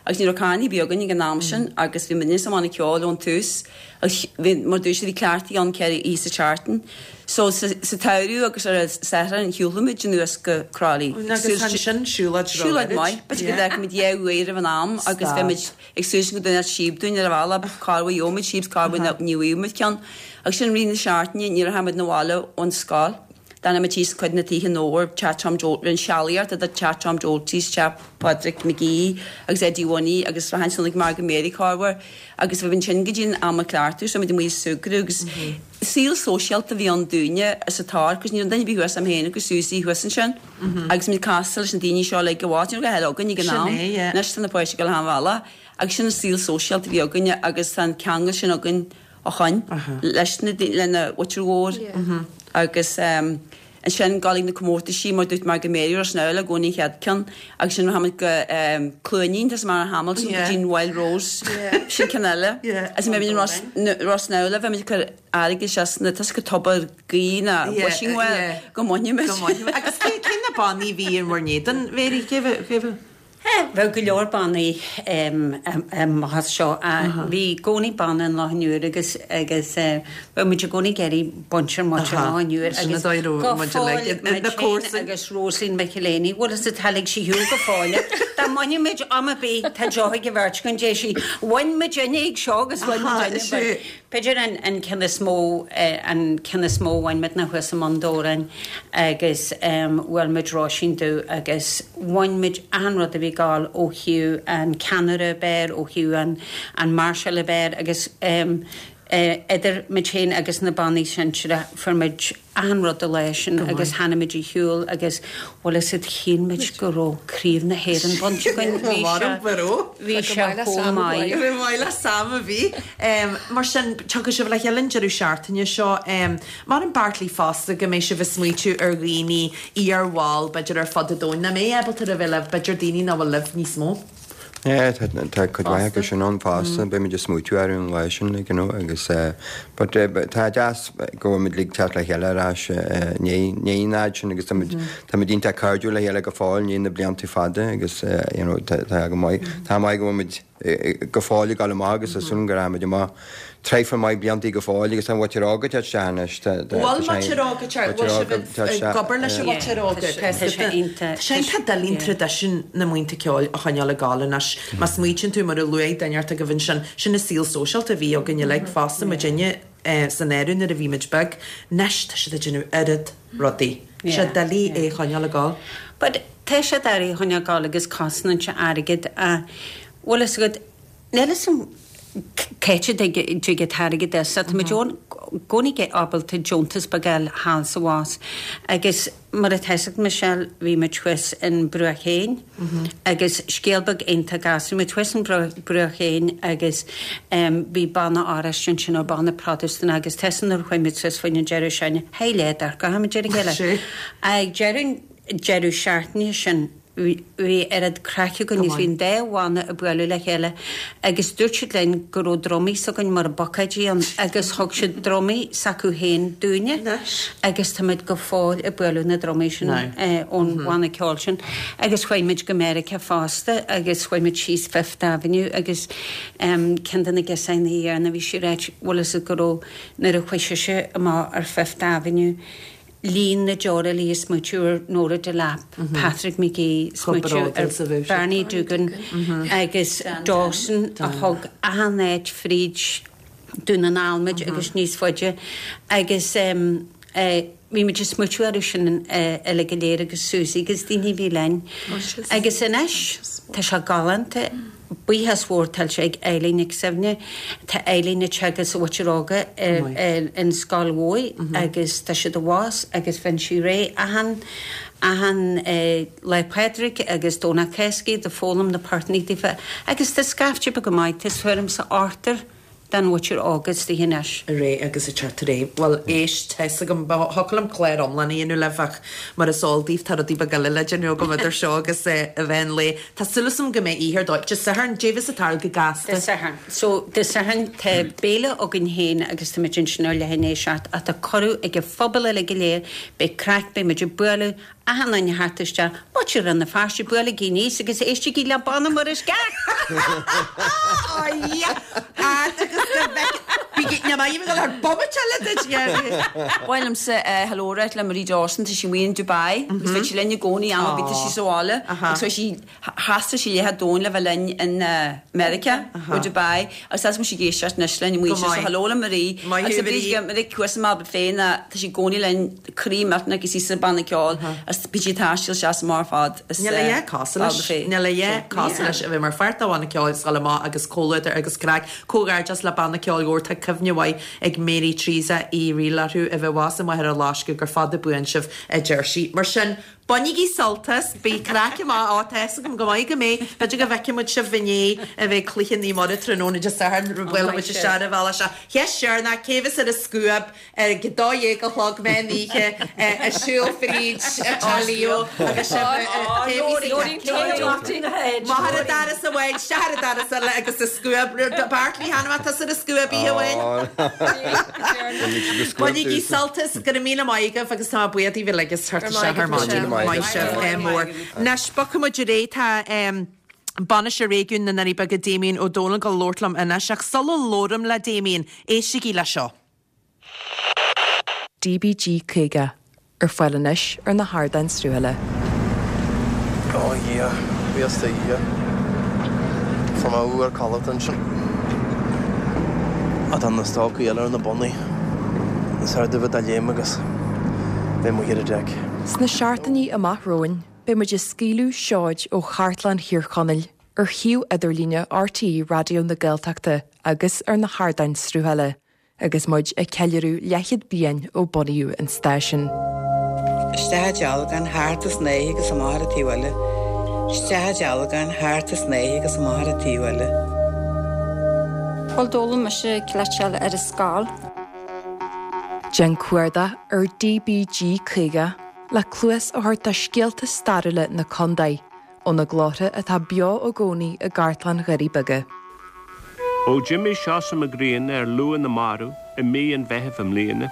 Agus ní raibh carrannaí ar bith againn ag an am sin agus bhí muidne sa mbanna ceoil ón tús agus bhí, mar dúirt siad, bhí cleachtaí ann 4 oíche sa tseachtain. So sa tsamhradh agus ar an Satharn shiúlfadh muid anuas go Crolly. Agus ansin siúlóid Siúlóid maith. B'fhéidir go bhfeicfeadh muid dhá uair roimh an am agus bheadh muid ag súil go dtabharfadh síob dúinn ar an bhealach, corruair gheobhadh muid síob, corruair ní bhfaigheadh muid ceann. Agus sin rith na seachtaine ní rachadh muid 'na bhaile ón scoil. D'fhanadh muid thíos i cuid de na tithe in Dobhar, teach Tom Joe, rinne sealaíocht idir teach Tom Doherty's, teach Phádraig McGee agus Eddie Winnie agus rachainn ansan ag Margaret Mary corruair agus bheinn ansin go dtí an am a cleachtadh so muid amuigh ag súgradh agus saol sóisialta a bhí ann dúinne sa tor cos ní raibh duine ar bith thuas a'm féin agus Susie thuas ansin agus muid ag castáil leis na daoine seo uilig i bhfad, ní raibh a dhath eile againn ag an am, anois tá na páistí ag dul achan bhealach agus sin an saol sóisialta a bhí againne agus tá an ceangal sin againn ó shoin leis na lena mhuintir mhór agus ansin dul ag na comórtaisí mar dúirt Margaret Mary Ros na i gcónaí an chéad ceann agus sin rachaidh muid go Cluainín tá mar Hamilton go dtí an Wild Rose sin ceann eile agus mé in Ros Ros na bheadh muid ag cur airgead isteach sna tá go tobar gaoth ná wishing well go mbainfidh muid. Agus cé na bannaí a bhí in bhur n-éadan Mary cé bhí Bheadh go leor bannaí amach as seo. Bhí i gcónaí banna in Loch an Iúir agus agus bheadh muid i gcónaí ag iarraidh baint ar muintir Loch an Iúir agus go fóill muid féin agus Rosaleen McElhinney, bhfuil fhios a'd tá lig sí shiúl go fóill. Dá mbainfeadh muid am ar bith tá deoch ag an bheirt againn deir sí bhain muid inne ag seo agus bhain muid inne but B'fhéidir an ceann is mó, an ceann is mó a bhain muid ná thuas i mBun Dobhráin agus bhuail muid Róisín Dubh agus bhain muid achan rud a bhí ag gabháil ó thaobh an ceannaire ab fhearr, ó thaobh an an máirseáil ab fhearr agus. Idir muid féin agus na bannaí sinsearach fuair muid achan rud an lá sin agus tháinig muid ar shiúl agus bhfuil fhios a'd shíl muid go raibh Craobh na hÉireann bainte againn. Bhí sé bhí sé chomh maith. Go maith le Sam a bhí. Mar sin tiocfaidh sibh le chéile an deireadh seachtaine seo. Mar an Bartley fosta go mbeidh sibh ag smaoitiú ar dhaoine iar-bhall b'fhéidir ar fud an domhain nach mbeidh ábalta a bheith libh, b'fhéidir daoine nach bhfuil libh níos mó. Yeah, tá tá cuid mhaith acu sin ann fosta, beidh muid ag smaoitiú orthu an lá sin, like, you know, agus eh, but eh, tá deas go bhfuil muid uilig teacht le chéile ar ais eh, i ndiaidh ndiaidh an fhaid sin agus tá muid tá muid iontach cairdiúil le chéile go fóill i ndiaidh na blianta fada agus eh, you know, tá tá go maith tá maith go bhfuil muid go fóill ag dul amach agus tá súil agam go rachaimid amach traidhfil maith bliantaí go fóill agus tá an mhuintir óg ag teacht isteach anois. Tá Bhfuil muintir óg ag teacht, bhfuil sibh ag obair leis an mhuintir óg? Tá sé iontach doiligh an traidisiún na mbuíonta ceoil a choinneáil ag gabháil anois. Má smaoitíonn tú mar a luaigh duine ort agaibh ansin, sin an saol sóisialta a bhí againn uilig fosta, muidinne san áireamh nuair a bhí muid beag. Anois tá siad ag déanamh oiread rudaí. Tá sé doiligh é a choinneáil ag gabháil. But tá sé doiligh a choinneáil ag gabháil agus cosnaíonn sé airgead a bhfuil fhios agat, níl fhios a'm c'áit a dtig an t-airgead as. Tá muid i gcónaí ábalta deontas beag a fháil thall is abhus agus mar atá fhios agat Michelle bhí muid thuas in Bruach Éin agus scéal beag iontach as, bhí muid thuas in Bruach Éin agus bhí banna Oráiste ansin nó banna Protastúnach agus tá fhios agat nuair a chuaigh muid suas faoin an deireadh seachtaine, haigh le dorcha muid ar a chéile. Ag deireadh an deireadh seachtaine sin bhí oiread craic againn agus bhí an dá bhanna ag bualadh le chéile agus dúirt siad linn go raibh drumaí s'againn mar bucáidí ann agus thug siad drumaí s'acu féin dúinne agus táimid go fóill ag bualadh na drumaí sin ón bhanna ceoil sin agus chuaigh muid go Meiriceá fosta agus chuaigh muid síos Fifth Avenue agus ceann de na girseachaí dheireanach bhí sí ag ráit bhfuil fhios agat go raibh nuair a chuaigh sise amach ar Fifth Avenue Líon na deora léi ag smaoitiú ar Nóra Delap, Patrick McGee, smaoitiú ar Barney Doogan agus Dawson a thug achan áit fríd Dún na nGall muid agus níos faide agus bhí muid ag smaoitiú orthu sin uilig go léir agus Susie agus daoine a bhí linn. Agus anois tá sé galánta. Buíochas mhór tuillte ag Eileen Nic Suibhne. Tá Eileen ag teagasc an mhuintir óga in Scoil Mhóidh agus tá siad abhus agus bhíonn sí réidh achan achan Lá Pádraig agus Domhnach Cásca do foghlaim na portannaí daofa agus tá scaifte beag maith, tá tuairim 's ochtar den mhuintir óg istigh anois. Réidh agus ag teacht ar aghaidh. Bhuel, éist, tá fhios agam, thiocfadh liom clár iomlán a dhéanamh libh ach mar is eol daoibh tá rudaí beaga eile le déanamh agam idir seo agus a mheán lae. Tá súil agam go mbeidh oíche ar dóigh. Dé Sathairn, dé bheas ag tarlú go gasta. Dé Sathairn. So, Dé Sathairn tá béile againn féin agus tá muid ansin ar leath i ndiaidh a 7 ach tá cuireadh ag an phobal uilig go léir, beidh craic, beidh muid ag bualadh, Achan duine a theacht isteach, Muintir Rann na Feirste, buailigí aníos agus éistigí le Banna Mhuire Ó yeah! Ard agus go bhfeice. Bígí, ní maith liom a dhul thar bomaite eile duit, yeah. Ba mhaith liomsa hello a ráit le Marie Dawson, tá sí amuigh in Dubai agus bheadh sí linn i gcónaí am ar bith tá sí sa bhaile agus chuaigh sí Thaistil sí leath an domhain le bheith linn in Meiriceá ó Dubai agus tá sí ag éisteacht anois linn amuigh ansin so hello le Marie agus a Bhríd Marie cúrsa maith féin tá sí i gcónaí linn croí millteanach agus í sa banna ceoil agus bíonn sí ag taisteal isteach is amach ar fad is Níl a dhath cosúil leis. Níl a dhath cosúil leis a bheith mar pháirt de bhanna ceoil is dul amach agus comhluadar agus craic. Comhghairdeas le Banna Ceoil Dhobhair. Tá cuimhne mhaith ag Mary Teresa Uí Fhrighil orthu a bheith abhus i Machaire Loiscthe gur fada buan sibh a deir sí. Mar sin, Bainigí sult as, beidh craic amach, á, tá fhios agam go maith go mbeidh, b'fhéidir go bhfeicfidh muid sibh i ndiaidh a bheith cluiche Naomh Muire tráthnóna Dé Sathairn, buailfidh muid isteach ar an bhealach seo. Cheist dheireanach, cé bheas ar an scuab ag a 12 a chlog meán oíche ag siúl fríd Teach Leo agus sibh, cé bheas amach ar an doras amháin, isteach ar an doras eile agus an scuab, Bartley, chan fhaca tusa ar an scuab oíche amháin? Bainigí sult as, go raibh míle maith agaibh agus tá mé buíoch daoibh uilig as theacht isteach ar maidin. Maith sibh mór. Anois, bogfaidh muid ar aghaidh, tá Bainisteoir Réigiúin na nDoirí Beaga Damien Ó Dónaill ag dul labhairt liom anois ach sula labhraím le Damien, éistigí le seo. DBG 50, ar fáil anois ar na hardáin sruthaithe. Ó a Dhia, buíochas do Dhia. Fuair mé uair codlata ansin. Ach tá na stocaí eile ar na bonnaí. Is fearr domh a léim agus bheith amuigh ar an deic. Sna seachtainí amach romhainn, beidh muid ag scaoileadh seoid ó Chartlann Thír Chonaill ar shuíomh idirlíne RTÉ Raidió na Gaeltachta agus ar na hardáin sruthála. Agus muid ag ceiliúradh leathchéad bliain ó bunaíodh an stáisiún. Isteach i dealgán, thart an snáithe agus amach ar an taobh eile. Isteach i dealgán, thart an snáithe agus amach ar an taobh eile. Bhuel, d'fhoghlaim mise cleiteáil ar an scoil. Déan cuardach ar DBG 50 le cluas a thabhairt do scéalta stairiúla na contae ó na glórtha atá beo i gcónaí i gcartlann Dhoirí Beaga. Ó d'imigh Seosamh Mac Grianna ar luath na marbh i mí an Mheithimh i mbliana,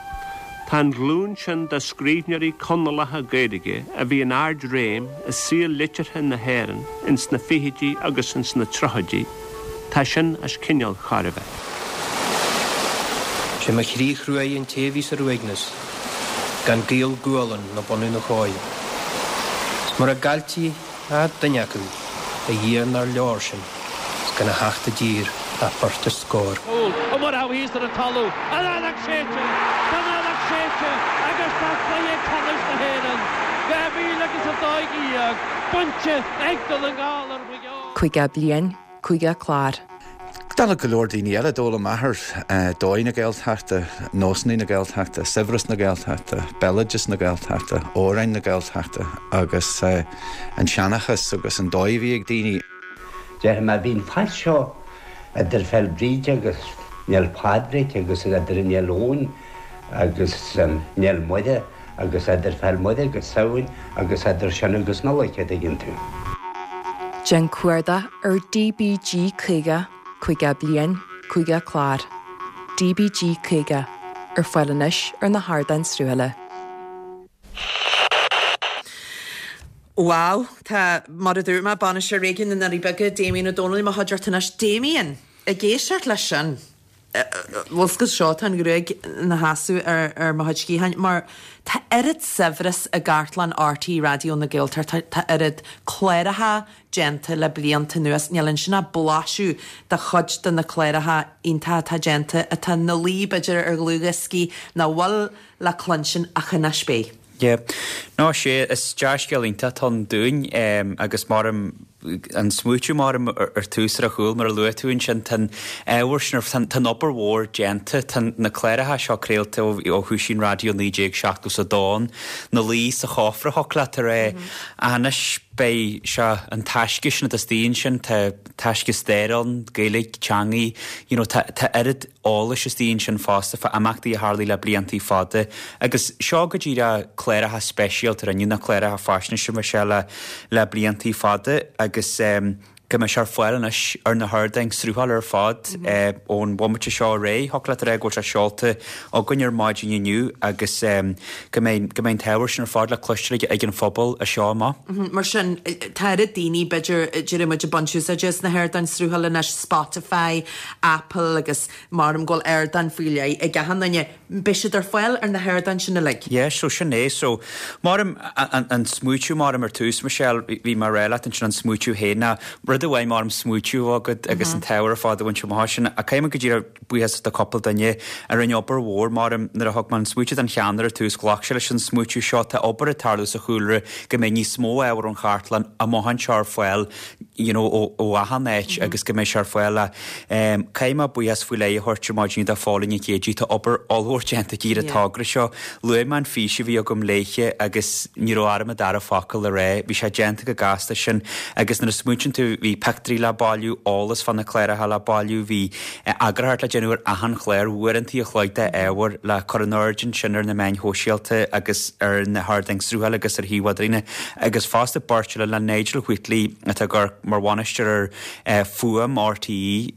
tá an ghlúin sin de scríbhneoirí Conallacha Gaeilge a bhí in ard-réim i saol liteartha na hÉireann ins na fichidí agus ins na tríochaidí, tá sin as cineál chóir a bheith. Sé mo chroí chruaidh an té a bhíos ar uaigneas, gan gaol gualann ná bunadh na chóir. 'S mura gcailltí ach duine acu, a Dhia nár leor sin, 's gan a theacht i dtír ach beirt is scór. Cúl, Ó Murchú thíos ar an talamh, an fheadóg séidte, tá an fheadóg séidte agus tá cluiche ceannais na hÉireann 2012 bainte ag Dún na nGall ar Mhaigh Eo. 50 bliain, 50 clár. Dála go leor daoine eile, d'fhoghlaim m'athair dóigh na Gaeltachta, nósanna na Gaeltachta, saibhreas na Gaeltachta, béaloideas na Gaeltachta, amhráin na Gaeltachta agus an seanchas agus an dóigh a bhí ag daoine. Déarfaidh mé, bhí an fad seo idir Féil Bríde agus Néal Pádraig agus idir Néal Eoin agus Néal Muire agus idir Féil Muire agus Samhain agus idir sin agus Nollaig, a' dtuigeann tú. Déan cuardach ar DBG 50, 50 bliain, 50 clár. DBG 50, ar fáil anois ar na hardáin sruthaithe. Wow, tá, mar a dúirt mé, Bainisteoir Réigiún na nDoirí Beaga, Damien Ó Dónaill i mo chuideachta anois. Damien, ag éisteacht leis sin, bhfuil 's agat seo, tá an ghruaig ina sheasamh ar mo chuid sciatháin, mar tá oiread saibhreas i gcartlann RTÉ Raidió na Gaeltachta, tá oiread cláracha déanta le blianta anuas, níl ansin ach blaiseadh de chuid de na cláracha iontacha atá déanta, atá ina luí b'fhéidir ar dhlúthdhioscaí, nach bhfuil le cluinstin ach anois beidh. Yeah. No, sé, is dea-scéal iontach atá ann dúinn agus mar an smaoitiú mar ar tús ar a chúl mar a luaigh tú ansin, tá an ábhar sin, tá an obair mhór déanta, tá na cláracha seo craolta ó thoisigh an raidió 1970 is a dó ina luí sa chófra thiocfadh leat a rá. Ach anois beidh sé an taisce sin atá istigh ansin, tá taisce staire ann, Gaeilge, teangaí, you know, tá tá oiread eolais istigh ansin fosta fá imeachtaí a tharlaigh le bliantaí fada. Agus seo go díreach cláracha speisialta a rinneadh, na cláracha faisnéise Michelle le le bliantaí fada agus go mbeidh sé ar fáil anois ar na hardáin sruthála ar fad ón bhomaite seo ar aghaidh. Thiocfadh leat a rá go bhfuil sé seolta againn ar maidin inniu agus go mbeidh go mbeidh an t-ábhar sin ar fad le cloisteáil ag an phobal as seo amach. Mar sin, tá oiread daoine, b'fhéidir, déarfaidh muid, ag baint úsáide as na hardáin sruthála anois, Spotify, Apple agus maram go bhfuil ardán faoi leith ag achan duine. Beidh siad ar fáil ar na hardáin sin uilig. Yeah, so sin é. So, maram, an smaoitiú maram ar tús, Michelle, bhí mé a rá leat ansin an smaoitiú féin ná rud amháin maram smaoitiú agat agus an t-ábhar ar fad a bhaint amach sin. Ach caithfidh mé go díreach buíochas do cúpla duine a rinne obair mhór maram nuair a thug mé an smaoitiú don cheannaire ar tús ghlac sé leis an smaoitiú seo. Tá obair ag tarlú sa chúlra go mbeidh níos mó ábhar ón chartlann amach anseo ar fáil you know, ó, ó achan áit agus go mbeidh sé ar fáil. Caithfidh mé buíochas faoi leith a thabhairt ar maidin do Phóilín Nic Géidigh, tá obair ollmhór déanta aici ar an togra seo. Luaigh mé an fís a bhí agam léithe agus ní raibh orm an dara focal a rá. Bhí sé déanta chomh gasta sin agus nuair a smaointíonn tú, bhí pictiúirí le bailiú, eolas fá na cláracha le bailiú, bhí eagarthóireacht le déanamh ar achan chlár, uaireantaí a chloig de ábhar le cur in airde ansin ar na meáin shóisialta agus ar na hardáin sruthála agus ar shuíomh idirlíne. Agus fosta beirt eile le Nigel Wheatley atá ag amharc mar bhainisteoir ar Fuaim RTÉ,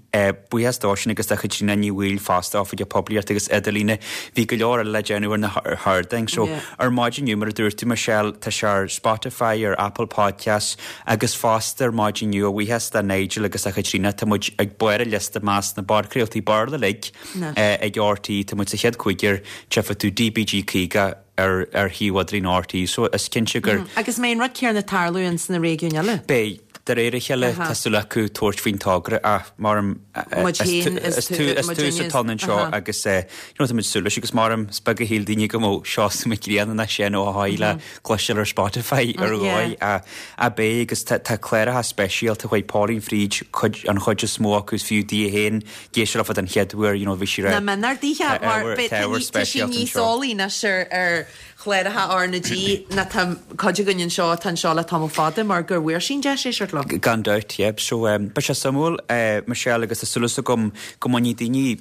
buíochas dósan agus do Chaitríona Ní Bhaoill fosta, Oifigeach Poiblíochta agus Idirlíne. Bhí go leor eile le déanamh ar na hardáin. So ar maidin inniu, mar a dúirt tú Michelle, tá sé ar Spotify, ar Apple Podcasts agus fosta ar maidin inniu, a bhuíochas do Nigel agus do Chaitríona, tá muid ag barr an liosta i measc na bpodchraoltaí Béarla uilig ag RTÉ. Tá muid sa chéad chúigear, tchífidh tú DBG 50. ar ar shuíomh idirlín RTÉ so is cinnte gur. Agus an mbeidh an rud céanna ag tarlú ins na réigiúin eile? Beidh. de réir a chéile tá súil acu tabhairt faoin togra ach maram is tús atá ann anseo agus you know tá muid ag súil leis agus maram is beag a shíl daoine go mbeadh Seosamh Mac Grianna ná Seán Ó hEochaidh le cloisteáil ar Spotify ar dhóigh ach beidh agus tá cláracha speisialta chuaigh Pauline fríd cuid an chuid is mó acu is fiú di féin éisteacht leofa den chéad uair you know bhí sí Ná mionár daoithe mar tá sí níos eolaí anois ar chláracha R na G ná tá cuid againn anseo atá anseo le tamall fada mar gur bhfuair sí an deis éisteacht leo. Gan dabht, yep. So, beidh sé suimiúil, Michelle, agus tá súil agam go mbainfidh daoine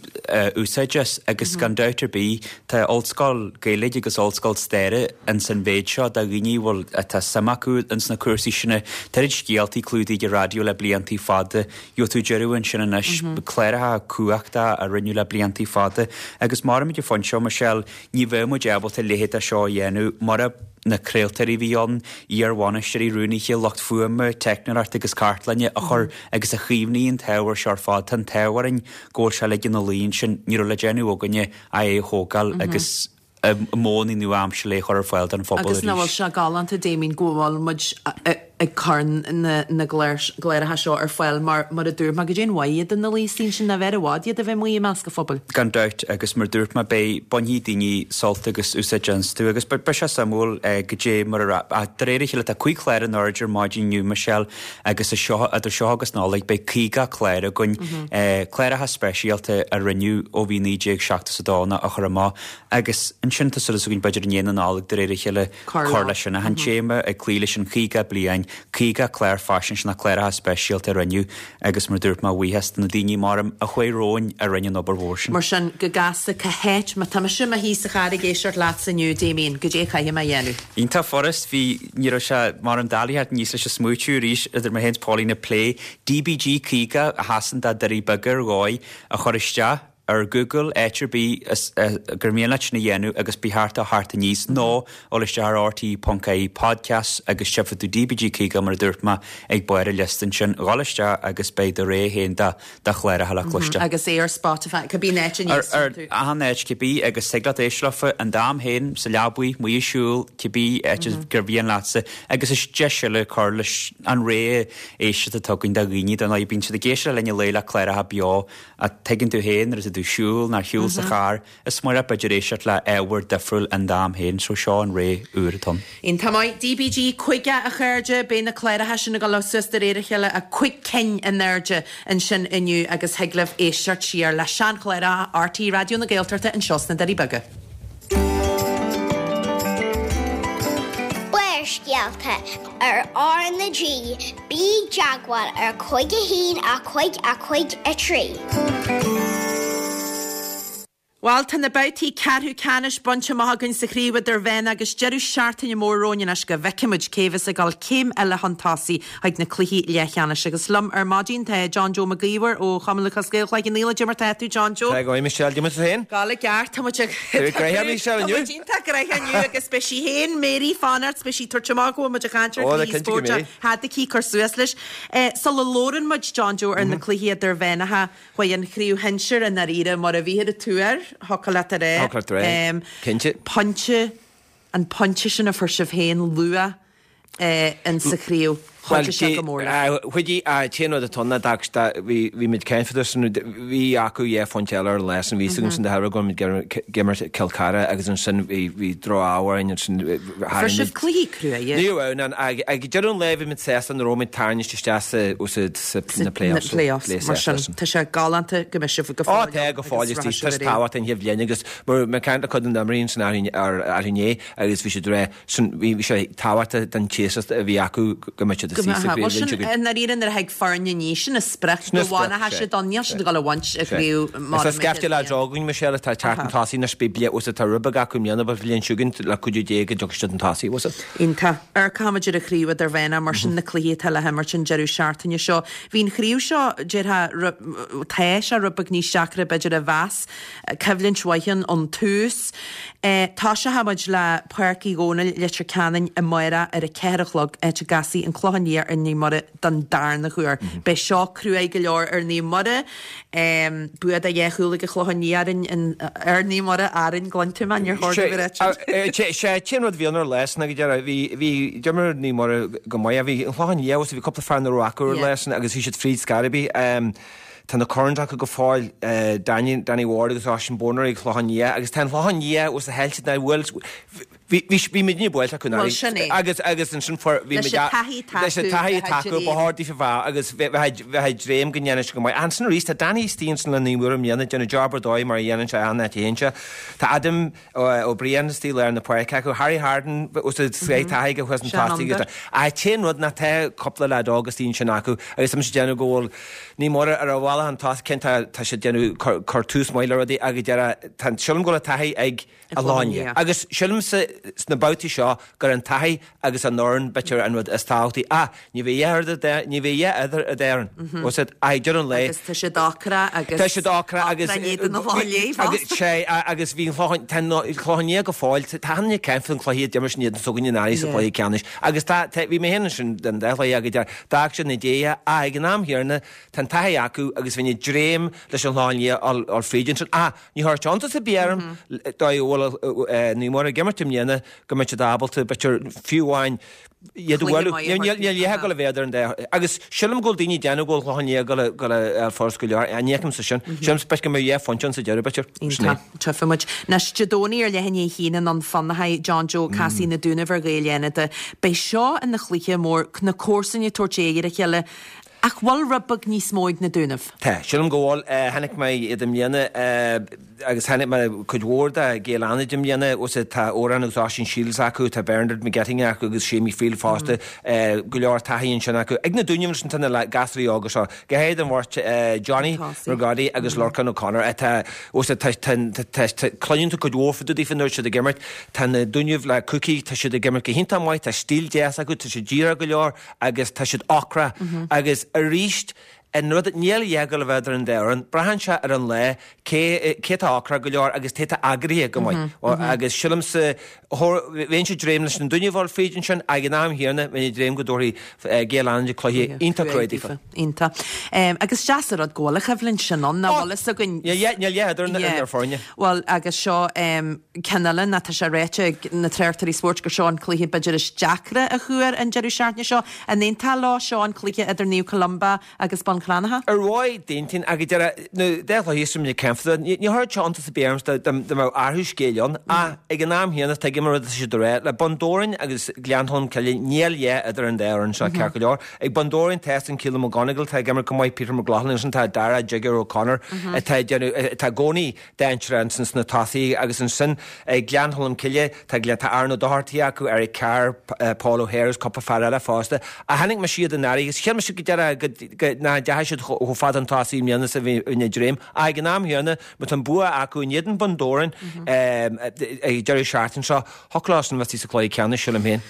úsáid as agus gan dabht ar bith tá ollscoil Gaeilge agus ollscoil staire ins an mhéid seo do dhaoine a bhfuil, atá suim acu ins na cúrsaí sin. Tá oiread scéaltaí clúdaithe ag an raidió le bliantaí fada. Gheobhaidh tú deireadh ansin anois, cláracha cumhachtacha a rinneadh le bliantaí fada agus maram ag an phointe seo, Michelle, Ní bheadh muid ábalta a leithéid de seo a dhéanamh mura na craoltóirí a bhí ann, iar-bhainisteoirí, rúnaithe, lucht fuaime, teicneoireachta agus cartlainne a chuir agus a chaomhnaigh an t-ábhar seo ar fad. Tá an t-ádh orainn go bhfuil sé uilig ina luí ansin. Ní raibh le déanamh againne ach é a thógáil agus i modhanna nua-aimseartha é a chur ar fáil don phobal Agus nach bhfuil arís. sé galánta, Damien, go bhfuil muid ag cur na gcláracha seo ar fáil mar, mar a dúirt mé, goidé an mhaith iad ina luí ansin, nárbh fhearr i bhfad iad a bheith amuigh i measc an phobail. Gan dabht, agus mar a dúirt mé, beidh, bainfidh daoine sult agus úsáid astu agus beidh sé suimiúil goidé mar a, ach de réir a chéile tá 5 chlár in airde ar maidin inniu, Michelle, agus is seo, idir seo agus Nollaig, beidh 50 clár againn, cláracha speisialta a rinneadh ó bhí 1972 á chur amach agus ansin tá súil againn b'fhéidir i ndiaidh na Nollag de réir a chéile, cur leis sin. Ach an téama ag cloí leis an 50 bliain, 50 clár faisnéise nó cláracha speisialta a rinneadh agus mar a dúirt mé, buíochas do na daoine maram a chuaigh romhainn a rinne an obair mhór sin. Mar sin, go gasta, cá háit, má tá mise i mo shuí sa charr ag éisteacht leatsa inniu, Damien, goidé a chaithfidh mé a dhéanamh? Iontach furast, bhí, ní raibh sé maram doiligh theacht aníos leis an smaoitiú arís idir mé féin is Pauline ag plé DBG 50 a sheasann do Doirí Beaga ar dhóigh a chur isteach. ar Google, áit ar bith gur mian leat sin a dhéanamh agus beidh thart á theacht aníos nó dul isteach ar rte ponc ie podcasts agus tchífidh tú DBG 50 mar a dúirt mé ag barr an liosta ansin, dhul isteach agus beidh do rogha féin de de chláracha le cloisteáil. Agus é ar Spotify, cibé an áit a n-éisteann Ar tú. achan áit cibé agus thig leat éisteacht leofa in d'am féin, sa leabaidh, amuigh ag siúl, cibé áit gur mhian leatsa agus is deis eile cur leis an rogha éisteachta atá againn do dhaoine, dar ndóigh bíonn siad ag éisteacht le linn an lae le cláracha beo Ach tuigeann tú féin nuair atá tú ag siúl nó ar shiúl sa charr, is maith leat b'fhéidir éisteacht le ábhar difriúil in d'am féin, so seo an rogha úr atá ann. Iontach maith. DBG 50 a chairde, beidh na cláracha sin ag dul suas de réir a chéile, a 5 cinn in airde ansin inniu agus thig libh éisteacht siar le seanchláracha RTÉ Raidió na Gaeltachta anseo sna Doirí Beaga. Barrscéalta ar R na G, bí i dteagmháil ar 5 1 5 5 3. Bhuel, tá na babhtaí ceathrú ceannais bainte amach againn sa chraobh idirmheánach agus deireadh seachtaine mór romhainn anois go bhfeicfidh muid cé bheas ag dul céim eile chun tosaigh chuig na cluichí leathcheannais. Agus liom ar maidin tá John Joe Mac Íomhair ó Chumann Lúthchleas Gael Chloich Cheann Fhaola. Cad é mar tá tú, John Joe? Tá go maith, Michelle. Cad é mar tá tú féin? Gabháil i gceart, tá muid ag. Tá muid gnoitheach, Michelle, inniu. Tá muid iontach gnoitheach inniu agus beidh sí féin, Mary, fanacht, beidh sí ag tabhairt amach go bhfuil muid ag caint ar Ó, le chluichí cinnte go spóirt mbeidh. Thad aici cur suas leis. Sula labhrann muid, John Joe, ar na cluichí idirmheánacha, chuaigh an chraobh shinsir i ndáiríre mar a bhíthear ag tuar, thiocfadh leat a rá. Thiocfadh leat a rá, cinnte. Pointe, an pointe sin a fuair sibh féin luath in sa chraobh, chuidigh sé go mór leat. Chuidigh, an t-aon rud atá ann ná bhí muid caint fada san, bhí acu dhá phointe eile ar an lá san, bhí fhios agam san de thairbhe go raibh muid ag imirt Cill Chartha agus ansin bhí droch-ádh orainn ansin Fuair sibh cluichí cruaidh. Ní raibh ann, ag deireadh an lae bhí muid sásta nach raibh muid tarraingte isteach sa na playoffs. Playoffs, mar sin tá sé galánta go mbeidh sibh go fóill. Ó tá go fóill, is tábhacht an chéad bhliain agus mar mé caint le cuid de na himreoirí ansin arú inné agus bhí siad ag rá Sin, bhí sé tábhachtach don tséasúr a bhí acu go mbeadh siad istigh sa Bhuel, sin, i ndáiríre nuair a thig foirne aníos, sin an sprioc, go bhfanfadh siad ann, níl siad ag dul a bhaint a chraobh mar Is tá scaifte leaids óga againn, Michelle, atá ag teacht chun tosaigh anois, beidh bliain, bhfuil tá rud beag acu i mbliana, but bhliain seo chugainn, le cuidiú Dé go dtiocfaidh siad chun tosaigh, bhfuil fhios agat. Iontach. Amharcfaimid ar an chraobh idirmheánach, mar sin na cluichí atá le himirt an deireadh seachtaine seo. Bhí an chraobh seo, déarfá, tá sé rud beag níos deacra b'fhéidir a mheas. Coimhlint mhaith ann ón tús. Toiseochaidh muid le Páirc Uí Dhónaill, Leitir Ceanainn amárach ar a 4 a chlog, áit a gcasfaidh an Clochán. Clochán Liath ar Naomh Muire don darna huair. Beidh seo cruaidh go leor ar Naomh Muire. Bua de dhá chúl ag an Chlochán Liath orainn, ar Naomh Muire, orainn, gcluin tú mé, níor chóir domh a rá sin. Sé an t-aon rud a bhí ann ar lá san ag deireadh, bhí, bhí, d'imir Naomh Muire go maith, bhí an Clochán Liath, bhí cúpla fear nach raibh acu ar lá san agus bhí siad fríd scor ar bith. Tá na Currans acu go fóill, Danny, Danny Ward agus Oisín Bonner ag Clochán Liath agus tá an Clochán Liath os a chaill siad now bhuel, bhí, bhí, bhí muidne buailte acu Bhuel, sin é. Agus, agus ansin fuair, bhí Leis muid an taithí atá leis an acu, taithí atá bheith acu, ba dream. chóir daofa bheith agus bheith, bheith, bheith ag dréim go ndéanfaidh sé go maith. Ach ansin arís tá Danny istigh ansin le Naomh Muire i mbliana, déanamh job ar dóigh mar a dhéanann sé achan áit a théann sé. Tá Adam Ó Briain istigh i lár na páirce acu, Harry Hardin os a sraith taithí aige thuas an tosaigh agus ach an t-aon rud ná tá cúpla leaid óg istigh ansin acu agus tá mise ag déanamh go bhfuil Naomh Muire ar a bhealach chun tosaigh cinnte tá siad ag déanamh cur tús maith le rudaí agus deireadh tá sílim go bhfuil an taithí ag an Chlochán Liath agus sílimse sna babhtaí seo gur an taithí agus an fhoireann b'fhéidir an rud is tábhachtaí. Ach ní bheidh a dhath ní bheidh a dhath idir an dá fhoireann. Bhfuil siad ach ag deireadh an lae. Agus tá siad ocrach agus Tá siad ocrach agus ocrach in éadan an Chlochán Liath fosta. Sea agus bhí an Chlochán tá an Clochán Liath go fóill tá an ceann an cluiche a d'imir siad in éadan s'againne anuraidh sa chluiche ceannais agus tá tá bhí mé féin ansin den dá chluiche agus d'fhág siad na déithe ach ag an am chéanna tá an taithí acu agus bheinn ag dréim leis an Chlochán Liath dul fríd ansin ach ní chuirfeadh iontas ar bith orm dóigh a bhfuil Naomh Muire ag imirt i mbliana go mbeidh siad ábalta, b'fhéidir, fiú amháin iad a bhualadh. Níl a dhath ag dul a bheith idir an dá. Agus sílim go bhfuil daoine ag déanamh go bhfuil Clochán Liath ag dul a fháil furast go leor. Ní fheicimse sin. Sílim b'fhéidir go mbeidh dhá phointe ann sa deireadh, b'fhéidir. Sin é. Iontach. Tchífidh muid. Anois, Dé Domhnaigh ar leath i ndiaidh a haon i nDún Fionnachaidh, John Joe, casfaidh Na Dúnaibh ar Ghaeil Fhánada. Beidh seo ina chluiche mór, na comharsana ag tabhairt aghaidh ar a chéile. Ach bhfuil rud beag níos mó ag na Dúnaibh? Tá. Sílim go bhfuil. Chonaic mé iad i mbliana agus chonaic mé cuid mhór de Ghaeil Fhánada i mbliana. Tá Odhrán agus Oisín Shields acu, tá Bernard McGettigan acu agus Séimí Friel fosta. Go leor taithí ansin acu. Ag na Dúnaibh ansin tá na gasúraí óga seo, go háirid an bheirt Johnny McGroddy agus Lorcan O'Connor. Tá, cluineann tú cuid mhór fá dtaobh daofa nuair atá siad ag imirt. Tá na Dúnaibh le Cookie, tá siad ag imirt go hiontach maith, tá stíl deas acu, tá siad díreach go leor. agus tá siad ocrach agus arís an rud níl a dhath ag dul a bheith idir an dá fhoireann, braitheann sé ar an lá cé cé atá ocrach go leor agus cé atá eagraithe go maith agus silimse bheinnse ag dréim leis na Dúnaibh a dhul fríd ansin ag an am chéanna bheinn ag dréim go dtabharfaidh Gaeil Fhánada cluiche iontach cruaidh daofa. Iontach. Agus deas an rud go bhfuil an choimhlint sin ann, nach bhfuil fhios againn. Níl a dhath idir na foirne. Bhuel agus seo ceann eile ná tá sé ráite ag na tráchtairí spóirt gur seo an cluiche b'fhéidir is deacra a chuaigh an deireadh seachtaine seo. An aontófá leo? Seo an cluiche idir Naomh Columba agus Bun Cranncha. Ar mhaith d'aontaoinn ach go deireadh na dá chluiche is muid ag caint fá ní chuirfeadh sé iontas ar bith orm dá mbeadh athrú scéil ann ach ag an am chéanna tuigim an rud atá siad a rá. Le Bun Dobhráin agus Gleann Cholm Cille níl a dhath idir an dá fhoireann seo ceart go leor. Ag Bun Dobhráin tá san Keelan McGonigle atá ag imirt go maith, Peter McLaughlin ansin tá Dara Jigger O'Connor atá ag déanamh atá i gcónaí dainséarach ansin sna tosaithe agus ansin ag Gleann Cholm Cille tá tá Aaron Ó Dochartaigh acu, Eric Carr, Paul O'Hare agus cúpla fear eile fosta. Ach chonaic mise iad anuraidh agus shíl mise go deireadh go go nach ndeachaigh siad chomh fada chun tosaigh i mbliana is a bhí ag dréim. Ach ag an am chéanna má tá an bua acu in éadan Bun Dobhráin ag deireadh seachtaine seo, Thiocfadh leo san bheith sa chluiche ceannais, sílim féin.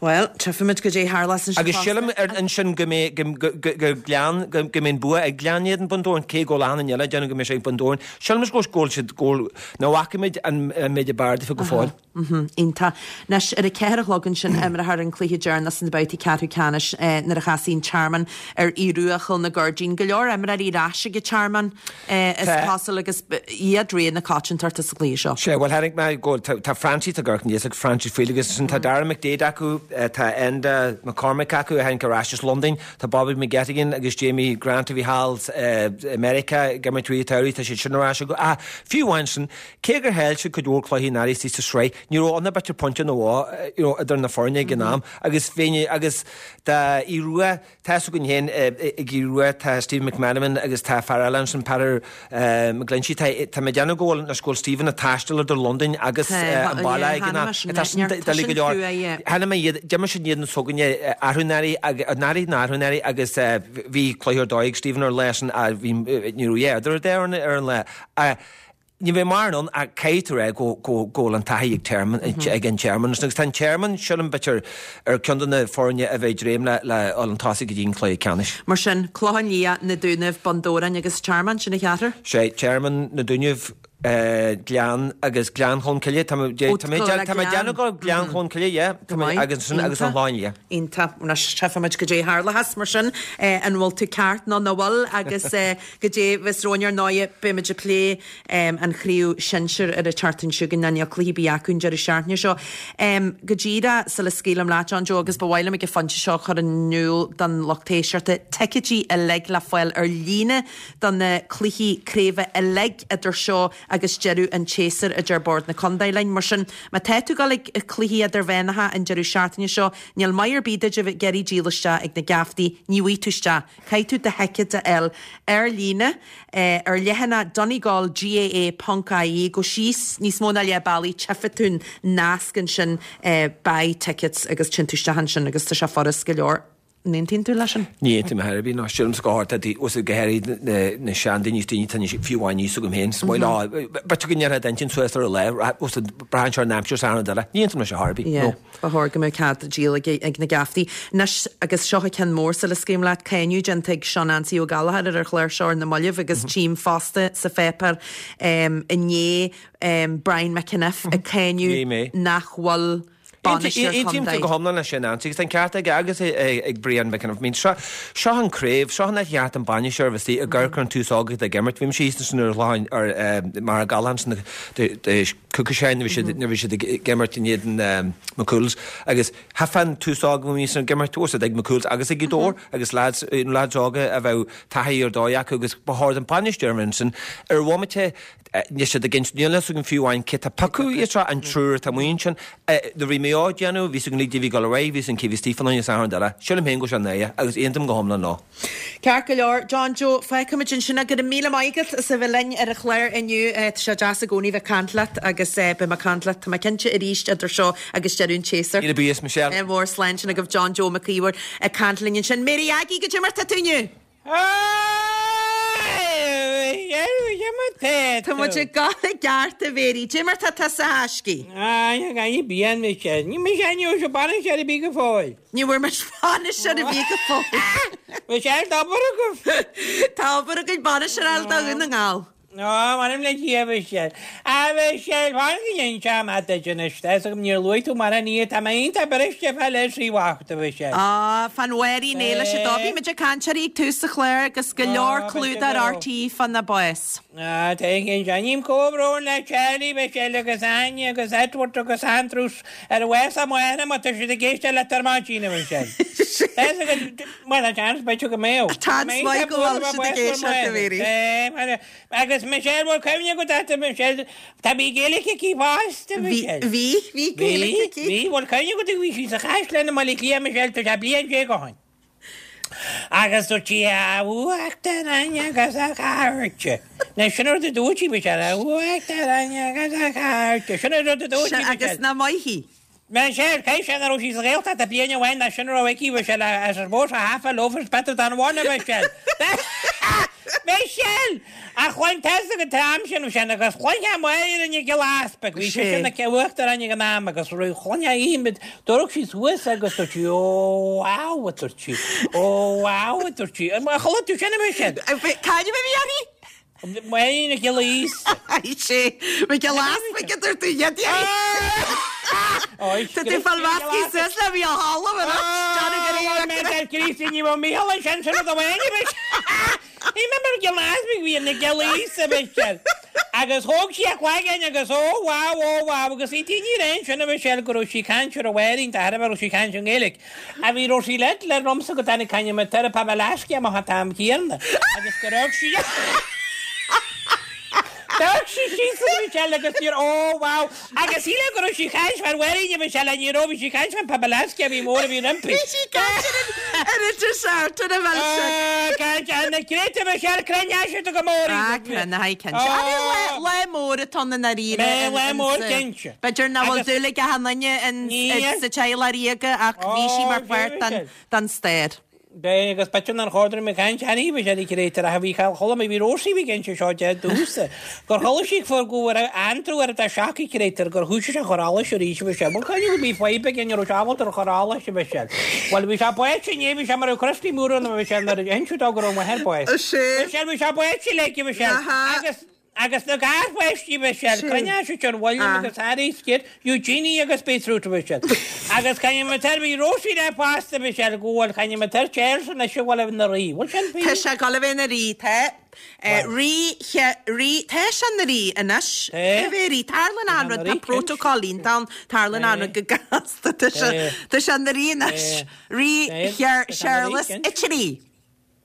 Bhuel, tchífimid goidé tharlós ansin Agus sílim ar ansin go mbeidh go go go Gleann go go mbeidh an bua ag Gleann in éadan Bun Dobhráin, cé go bhfuil achan duine eile ag déanamh go mbeidh sé ag Bun Dobhráin. Sílim go go bhfuil siad go bhfuil nach bhfacaimid an an méid ab fhearr daofa go fóill. Mhm, iontach. Anois, ar a ceathair a chlog ansin imreofar an cluiche deireanach sna babhtaí ceathrú ceannais nuair a chasfaidh an Tearmann ar Aodh Rua Chill na Goirdín. Go leor imreoirí ar ais ag an Tearmann. Is cosúil agus iad rogha na coitiantachta sa chluiche seo. Sea, bhuel chonaic mé go bhfuil, tá Francie, tá Gurkin ag Francie Friel agus ansin tá Dara McDaid acu, tá Enda McCormick acu a tháinig ar ais as Londain, tá Bobby McGettigan agus Jamie Grant a bhí thall i Meiriceá ag imirt rith an tsamhraidh, tá siad sin ar ais acu. Ach fiú amháin sin, cé gur chaill siad cuid mhór cluichí anuraidh sa sraith, ní raibh ann ach b'fhéidir pointe nó dhó you know idir na foirne ag an am agus bheinn agus tá Aodh Rua, Tá fhios againn féin ag Aodh Rua, tá Stephen McMenamin agus tá fear eile ansin, Peadar McGlinchey. Tá tá mé ag déanamh go bhfuil anois go bhfuil Stephen ag taisteal idir Londain agus an baile ag an am. Tá sin doiligh go leor. Chonaic mé iad, d'imir siad in éadan s'againne arú anuraidh, anuraidh nó arú anuraidh agus bhí cluiche ar dóigh ag Stephen ar an lá sin, bhí ní raibh a dhath idir an dá fhoireann ar an lá. Ní bheidh mórán ann ach caithfidh tú a rá go go bhfuil an taithí ag Tearmann ag an Tearmann agus tá an Tearmann, sílim, b'fhéidir ar ceann de na foirne a bheidh ag dréim le le dhul chun tosaigh go dtí an cluiche ceannais. Mar sin, Clochán Liath, Na Dúnaibh, Bun Dobhráin agus Tearmann, sin an cheathrar? Sé, Tearmann, Na Dúnaibh, Gleann agus Gleann Cholm Cille. Tá mé tá mé tá mé ag déanamh go Gleann Cholm Cille, yeah. Tá mé agus ansin agus an Chlochán Liath. Iontach. Anois tchífimid goidé a tharlóchas mar sin, an bhfuil tú ceart nó nach bhfuil agus goidé a bheas romhainn ar ndóighe beimid ag plé an chraobh shinsir ar an tseachtain seo chugainn ná níl cluiche ar bith acu an deireadh seachtaine seo. Go díreach sula scaoilim leat John Joe agus ba mhaith liom ag an phointe seo a chur in iúl don lucht éisteachta, ticéidí uilig le fáil ar líne do na cluichí craoibhe uilig idir seo agus deireadh an tséasúir, a deir Bord na Contae linn. Mar sin, má tá tú ag dul ag cluichí idirmheánacha an deireadh seachtaine seo, níl maith ar bith duit a bheith ag iarraidh díol isteach ag na geaftaí, ní bhfaighidh tú isteach. Caithfidh tú do thicéad a fháil ar líne ar leathanach Donegal GAA ponc ie, gabh síos níos mó ná leath bealaigh, tchífidh tú an nasc ansin buy tickets agus téann tú isteach ansin agus tá sé furast go leor. An aontaíonn tú leis sin? Ní aontaím ar chor ar bith, ná sílimse go háirithe tá go háirithe na seandaoine is daoine atá níos, fiú amháin níos agam féin, is maith leo, b'fhéidir go ndéarfá d'intinn suas ar a lá, braitheann sé ar an aimsir is achan rud eile. Ní aontaím leis ar chor ar bith, Yeah, no. ba chóir go mbeadh cead díol ag na geaftaí. Anois, agus seo an ceann mór sula scaoilim leat, cáineadh déanta ag Seán Ansaí Ó Gallchóir ar an chlár seo ar na mallaibh agus tchím fosta sa pháipéar inné Brian McEniff ag cáineadh nach bhfuil bainisteoir Aontaím contae. go hiomlán leis sin, Ansaí, agus tá an ceart aige agus ag Brian McEniff. I mean, seo, seo an craobh, seo an áit a cheart an bainisteoir a bheith istigh ag amharc ar an tús óg atá ag imirt. Bhí mise thíos ansin ar Chlochán, ar Machaire Gathlán ansin cúpla sean nuair a bhí siad, nuair a bhí siad ag imirt in éadan McCool's agus tchífeá an tús óg a bhí ag imirt, bhí siad ag McCool's agus ag Gaoth Dobhair agus lads, lads óga a bheadh taithí ar dóigh acu agus ba chóir don bainisteoir a bheith ansin ar bhomaite Níl siad ag insint, níl a fhios agam fiú amháin cé tá piocadh iad seo, an triúr atá amuigh ansin. Nuair a bhí Maigh Eo ag déanamh, bhí a fhios againn cé bhí ag dul ar aghaidh, bhí a fhios againn cé bhí istigh fán choinne is achan rud eile. Sílim féin go bhfuil sé náireach agus aontaím go hiomlán leo. Ceart go leor, John Joe, fágfaimid ansin é. Go raibh míle maith agat as a bheith linn ar an chlár inniu. Tá sé deas i gcónaí bheith ag caint leat agus beidh mé ag caint leat, tá mé cinnte, arís idir seo agus deireadh an tséasúir. Míle buíochas, Michelle. Mór slán sin agaibh John Joe Mac Íomhair ag caint linn ansin. Mary Aggie, goidé mar tá tú inniu? Tá muid ag gabháil i gceart a Mhéirí. Dé mar tá tusa a thaiscidh? Ní bhfuair muid bainis ar bith go fóill. Tá obair againn bainis a fháil do Dhún na nGall. Ó, m'anam le Dia, a Mhichelle. A Mhichelle, fan go n-inseoidh mé duit anois. Tá 'fhios agam níor luaigh tú mar ní, tá mé iontach briste fá leith sí bhocht, a Mhichelle. Á, fán Mháirín Éilis a dó. Bhí muid ag caint uirthi ag tús an chláir agus go leor clúdach ar RTÉ fána bás. Á, tá a chinnte. Ním comhbhrón le Charlie, Michelle agus Áine agus Edward agus Andrews ar bhás a máthar má tá siad ag éisteacht leat ar maidin, a Mhichelle. Tá 'fhios agat, bhuel, tá seans b'fhéidir go mbeadh. Tá seans maith go bhfuil siad ag éisteacht, a Mhéirí. Agus Michelle, bhfuil cuimhne agat uirthi, Michelle, tá bhí Gaeilge aici fosta, Michelle. Bhí, bhí Gaeilge aici. Bhí, bhfuil cuimhne agat bhí sí sa Chaisleán i mBaile Átha Cliath, Michelle, tá sé bliain déag ó shin. Agus dúirt sí, a Uachtaráin agus a chairde. Now sin an rud a dúirt sí, Michelle, a Uachtaráin agus a chairde. Sin an rud a dúirt sí, Michelle. Agus nach maith í. Michelle, caithfidh sé nach raibh sí sa Ghaeltacht ach bliain amháin ná sin a raibh aici, Michelle, I suppose half a loaf is better than one, a Michelle. Michelle! Ach chluin tusa an t-am sin, Michelle, agus chluinfeá Máire Nic Giolla Easpaig, bhí sise ina uachtarán ag an am agus chluinfeá í, d'amharc sí suas agus dúirt sí, Ó, wow, a dúirt sí, ó, wow, a dúirt sí. Ar chuala tú sin, a Michelle? Cá fhad a bhí uirthi? Máire Nic Giolla Íosa. Sé, Mac Giolla Easpaig a dúirt tú, iad Tá tú fáil measctha suas le bhí a thalamh ar ais. Críostaí ní raibh Mícheál ansin sin rud amháin a bhí Ní mé mar Giolla Easpaig bhí Nic Giolla Íosa Michelle. Agus thóg sí a cloigeann agus ó wow ó wow agus bhí daoine ar aon sin a Michelle go raibh sí ag caint ar a Mháirín de thairbhe raibh sí ag caint i nGaeilge. A bhí raibh sí le le romsa go dtáinig caint me tar pa leasc amach an t-am céanna agus go raibh sí D'amharc sí síos ar Michelle agus níor ó wow agus shíl go raibh sí ag caint fán Mháirín a Michelle ní raibh bhí sí ag caint fán Papalasky a bhí mór a bhí roimpi. Bhí sí ag caint ar an ar an dessert ar an bhfeilse. Caint ar na créite Michelle cruinneoidh siad go mór Ah cruinneoidh cinnte. Lá lá mór atá ann i ndáiríre. Lá lá mór cinnte. B'fhéidir nach bhfuil dúil ag achan duine in sa teaghlach ríoga ach bhí sí mar pháirt den den stair. B'é agus b'fhéidir nár chóir dom ag caint ariamh is ar créatúr ach bhí chuala mé bhí Róisín ag inse seo de domhsa gur chuala sí gur go raibh Andrew ar a seaca créatúr gur thoisigh sé a chur allais arís bhí sé bhuel caithfidh go bhí fadhb aige ní raibh sé ábalta ar chur allais bhí sé bhuel bhí sé báite inné bhí sé mar a Christy Moore ann bhí sé nuair a inseadh dó go raibh a mháthair báite. Bhí sé bhí sé báite léi bhí sé agus. Agus na garpháistí Michelle, cruinneoidh siad ar William agus Harry is Kate, Eugenie agus Beetroot Michelle. Agus caithfidh mé tar, bhí Rosie le fosta Michelle, go bhfuil, caithfidh mé tar Charles anois a bhfuil ina rí. Bhfuil sin Tá sé ag dul a bheith ina rí, tá. Rí, rí, tá sé ina rí anois. Tá bheith rí, tarlaíonn an rud, tá protocol iontach ann, tarlaíonn an rud go gasta, tá sé, tá sé ina rí anois. Rí Séarlas a Trí.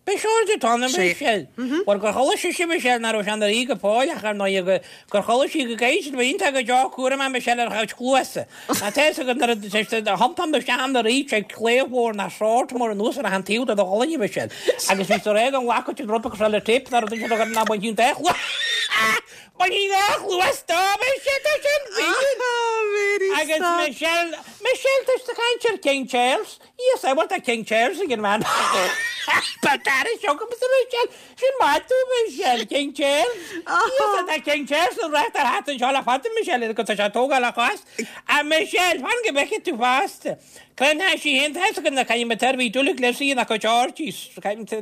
Beidh seoid ag Tony Michelle. Bhuel, gur chuala sise Michelle nach raibh sé ina rí go fóill ach ar ndóigh gur chuala sí go gcaithfidh siad a bheith iontach go deo cúramach Michelle ar a chuid cluasa. Tá fhios agat nuair a thiompánn tú isteach ina rí sé claíomh mhór ná sword mór anuas ar achan taobh de do cholainn Michelle. Agus bhí sé réidh don ghlacadh an rud cosúil le tape ná rud ansin a ná bainfidh an dá chluas Bainfidh dhá chluas dó Michelle tá sin Mary Agus stop. Michelle Michelle tá siad ag caint ar King Charles. Yes, I want a King Charles again, man. But that is joke, Mr. Michelle. Sin maith tú, Michelle, King Charles. Yes, tá King Charles an recht ar hat anseo le fada, Michelle, agus tá sé tógáil a chás. A Michelle, fan go bhfeicfidh tú fosta. Cluinfidh sí féin, tá fhios agat na caithfidh mé tairbhí dúlaigh le sí ina cuid orgies.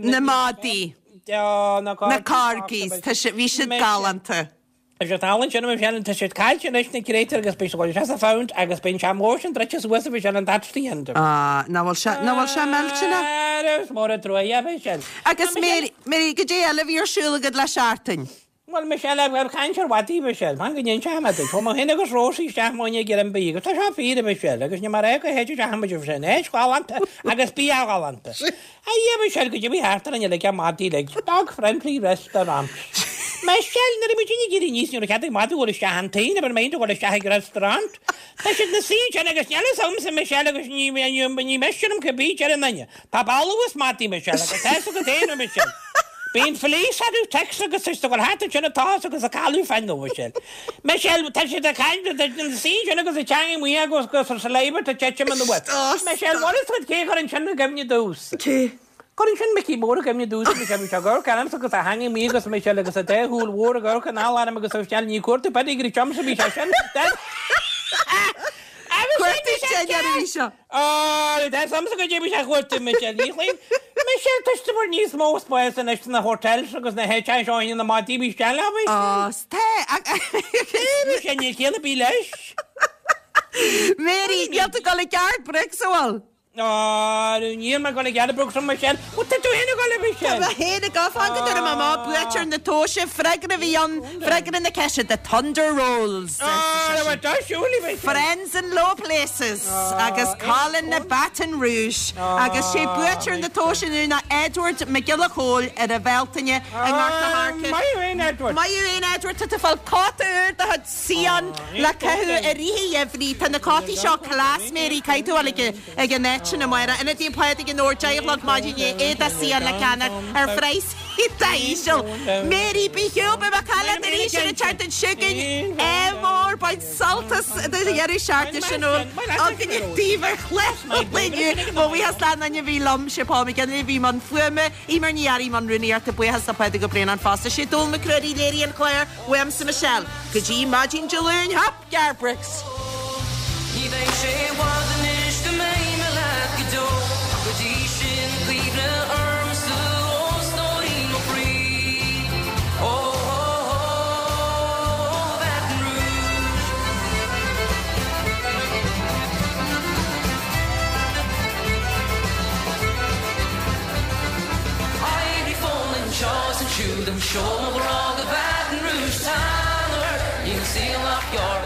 Na madaí. Na Na corgis. Tá sé, bhí siad galánta. Is an tallann sin a Michelle, tá siad caillte anois na créatúir agus beidh siad ag dul isteach sa phound agus beidh an sean sin druidte suas a Michelle and that's the end of it. Ah, nach bhfuil sé, nach bhfuil sé millteanach? Ara, is mór an trua é a Michelle. Agus Mary, Mary, goidé eile a bhí ar siúl agat le seachtain? Bhuel, Michelle, ar chaint ar mhadaí, Michelle, fan go n-inseoidh mé duit. Chuaigh mé féin agus Rosie isteach muidne ag iarraidh an bia agus tá seo fíor, a Michelle, agus ní mar é go héid isteach muid, bhí sé in áit ghalánta agus bia galánta. A Dhia Michelle goidé a bhí thart orainn uilig ar maidin uilig, dog friendly restaurant. Michelle, nuair a bhí muid ag éirí aníos ní raibh cead ag madadh dul isteach an tigh, never mind a dhul isteach ag restaurant. Tá siad ina suí ansin agus níl fhios agamsa Michelle agus ní ní miste liom cibé deir an duine. Tá balbh as madaí Michelle agus tá fhios agat féin Michelle. Bíonn fleas orthu ticks agus tá siad ag dul thart ansin ag tochas agus ag cailleadh féin nó Michelle. Michelle, tá siad ag caint, tá siad ina suí ansin agus a teanga amuigh acu agus a saliva ag titim anuas. Michelle, bhfuil fhios agat cé a chuir sin i gcuimhne domhsa? Cé? Chuir sin Micí Mór i gcuimhne domhsa, Michelle, bhí sé ag amharc ormsa agus a theanga amuigh agus Michelle agus a dá shúil mhór ag amharc anall orm agus Michelle, ní cuartú pedigree liomsa a bhí sé sin. Cuartú dinnéir a bhí seo. Ó, tá fhios agamsa goidé a bhí sé a chuartú, Michelle, ní chloím. Michelle, tá siad ag níos mó spáis anois sna hotels agus na háiteacha seo na madaí bhí isteach le Michelle. Ó, tá. Michelle, níl ciall ar bith leis. Mary, níl tú ag dul ag Garth Brooks, an bhfuil? Ó, níl mé ag dul ag Garth Brooks, Michelle. Bhuel, tá tú féin ag dul, Michelle. Tá mé féin ag dul, fan go dtabharfaidh mé amach buaiteoir na tomhaise, freagra a bhí ann, freagra na ceiste, The Thunder Rolls. Friends in Low Places agus Colin na Baton Rouge agus sé buaiteoir na tomhaise inniu ná Edward Mac Giolla Chóill ar an Bhealtaine i nGort a' Choirce. Maith thú fhéin Edward! Maith thú fhéin Edward, tá tú ag fáil cóta úr de chuid Sion le caitheamh i rith an gheimhridh. Tá na cótaí seo class Mary, caithfidh tú a fháil ag an áit sin amárach. Ionad Naomh Pádraig i nDobhar, 10 a chlog maidin inné, éadach Sion le ceannach ar phraghas iontach íseal. Mary, bí shiúl, beidh mé ag caint leat arís ar an tseachtain seo chugainn. Ádh mór, bain sult as do dheireadh seachtaine sin úr againne daoibh ar chlár an lae inniu. Mo bhuíochas le gach éinne a bhí liom, sé Paul McGinley a bhí i mbun fuaime, Eimear Ní Fhearraigh i mbun rúnaíochta, buíochas le Pádraig Ó Braonáin fosta. Sé Dónal Mac Ruairí a léirigh an clár, uaimse Michelle. Go dtí maidin Dé Luain, hop! Garth Brooks. Ní bheidh sé i bhfad anois go mbeidh mé leat go deo Ach go dtí sin cuimhnigh ormsa ó stóirín mo chroí Ó ó ó Baton Rouge. Éirigh fón anseo is ansiúd, seol mo ghrá go Baton Rouge Tá Níl saol nach gearr.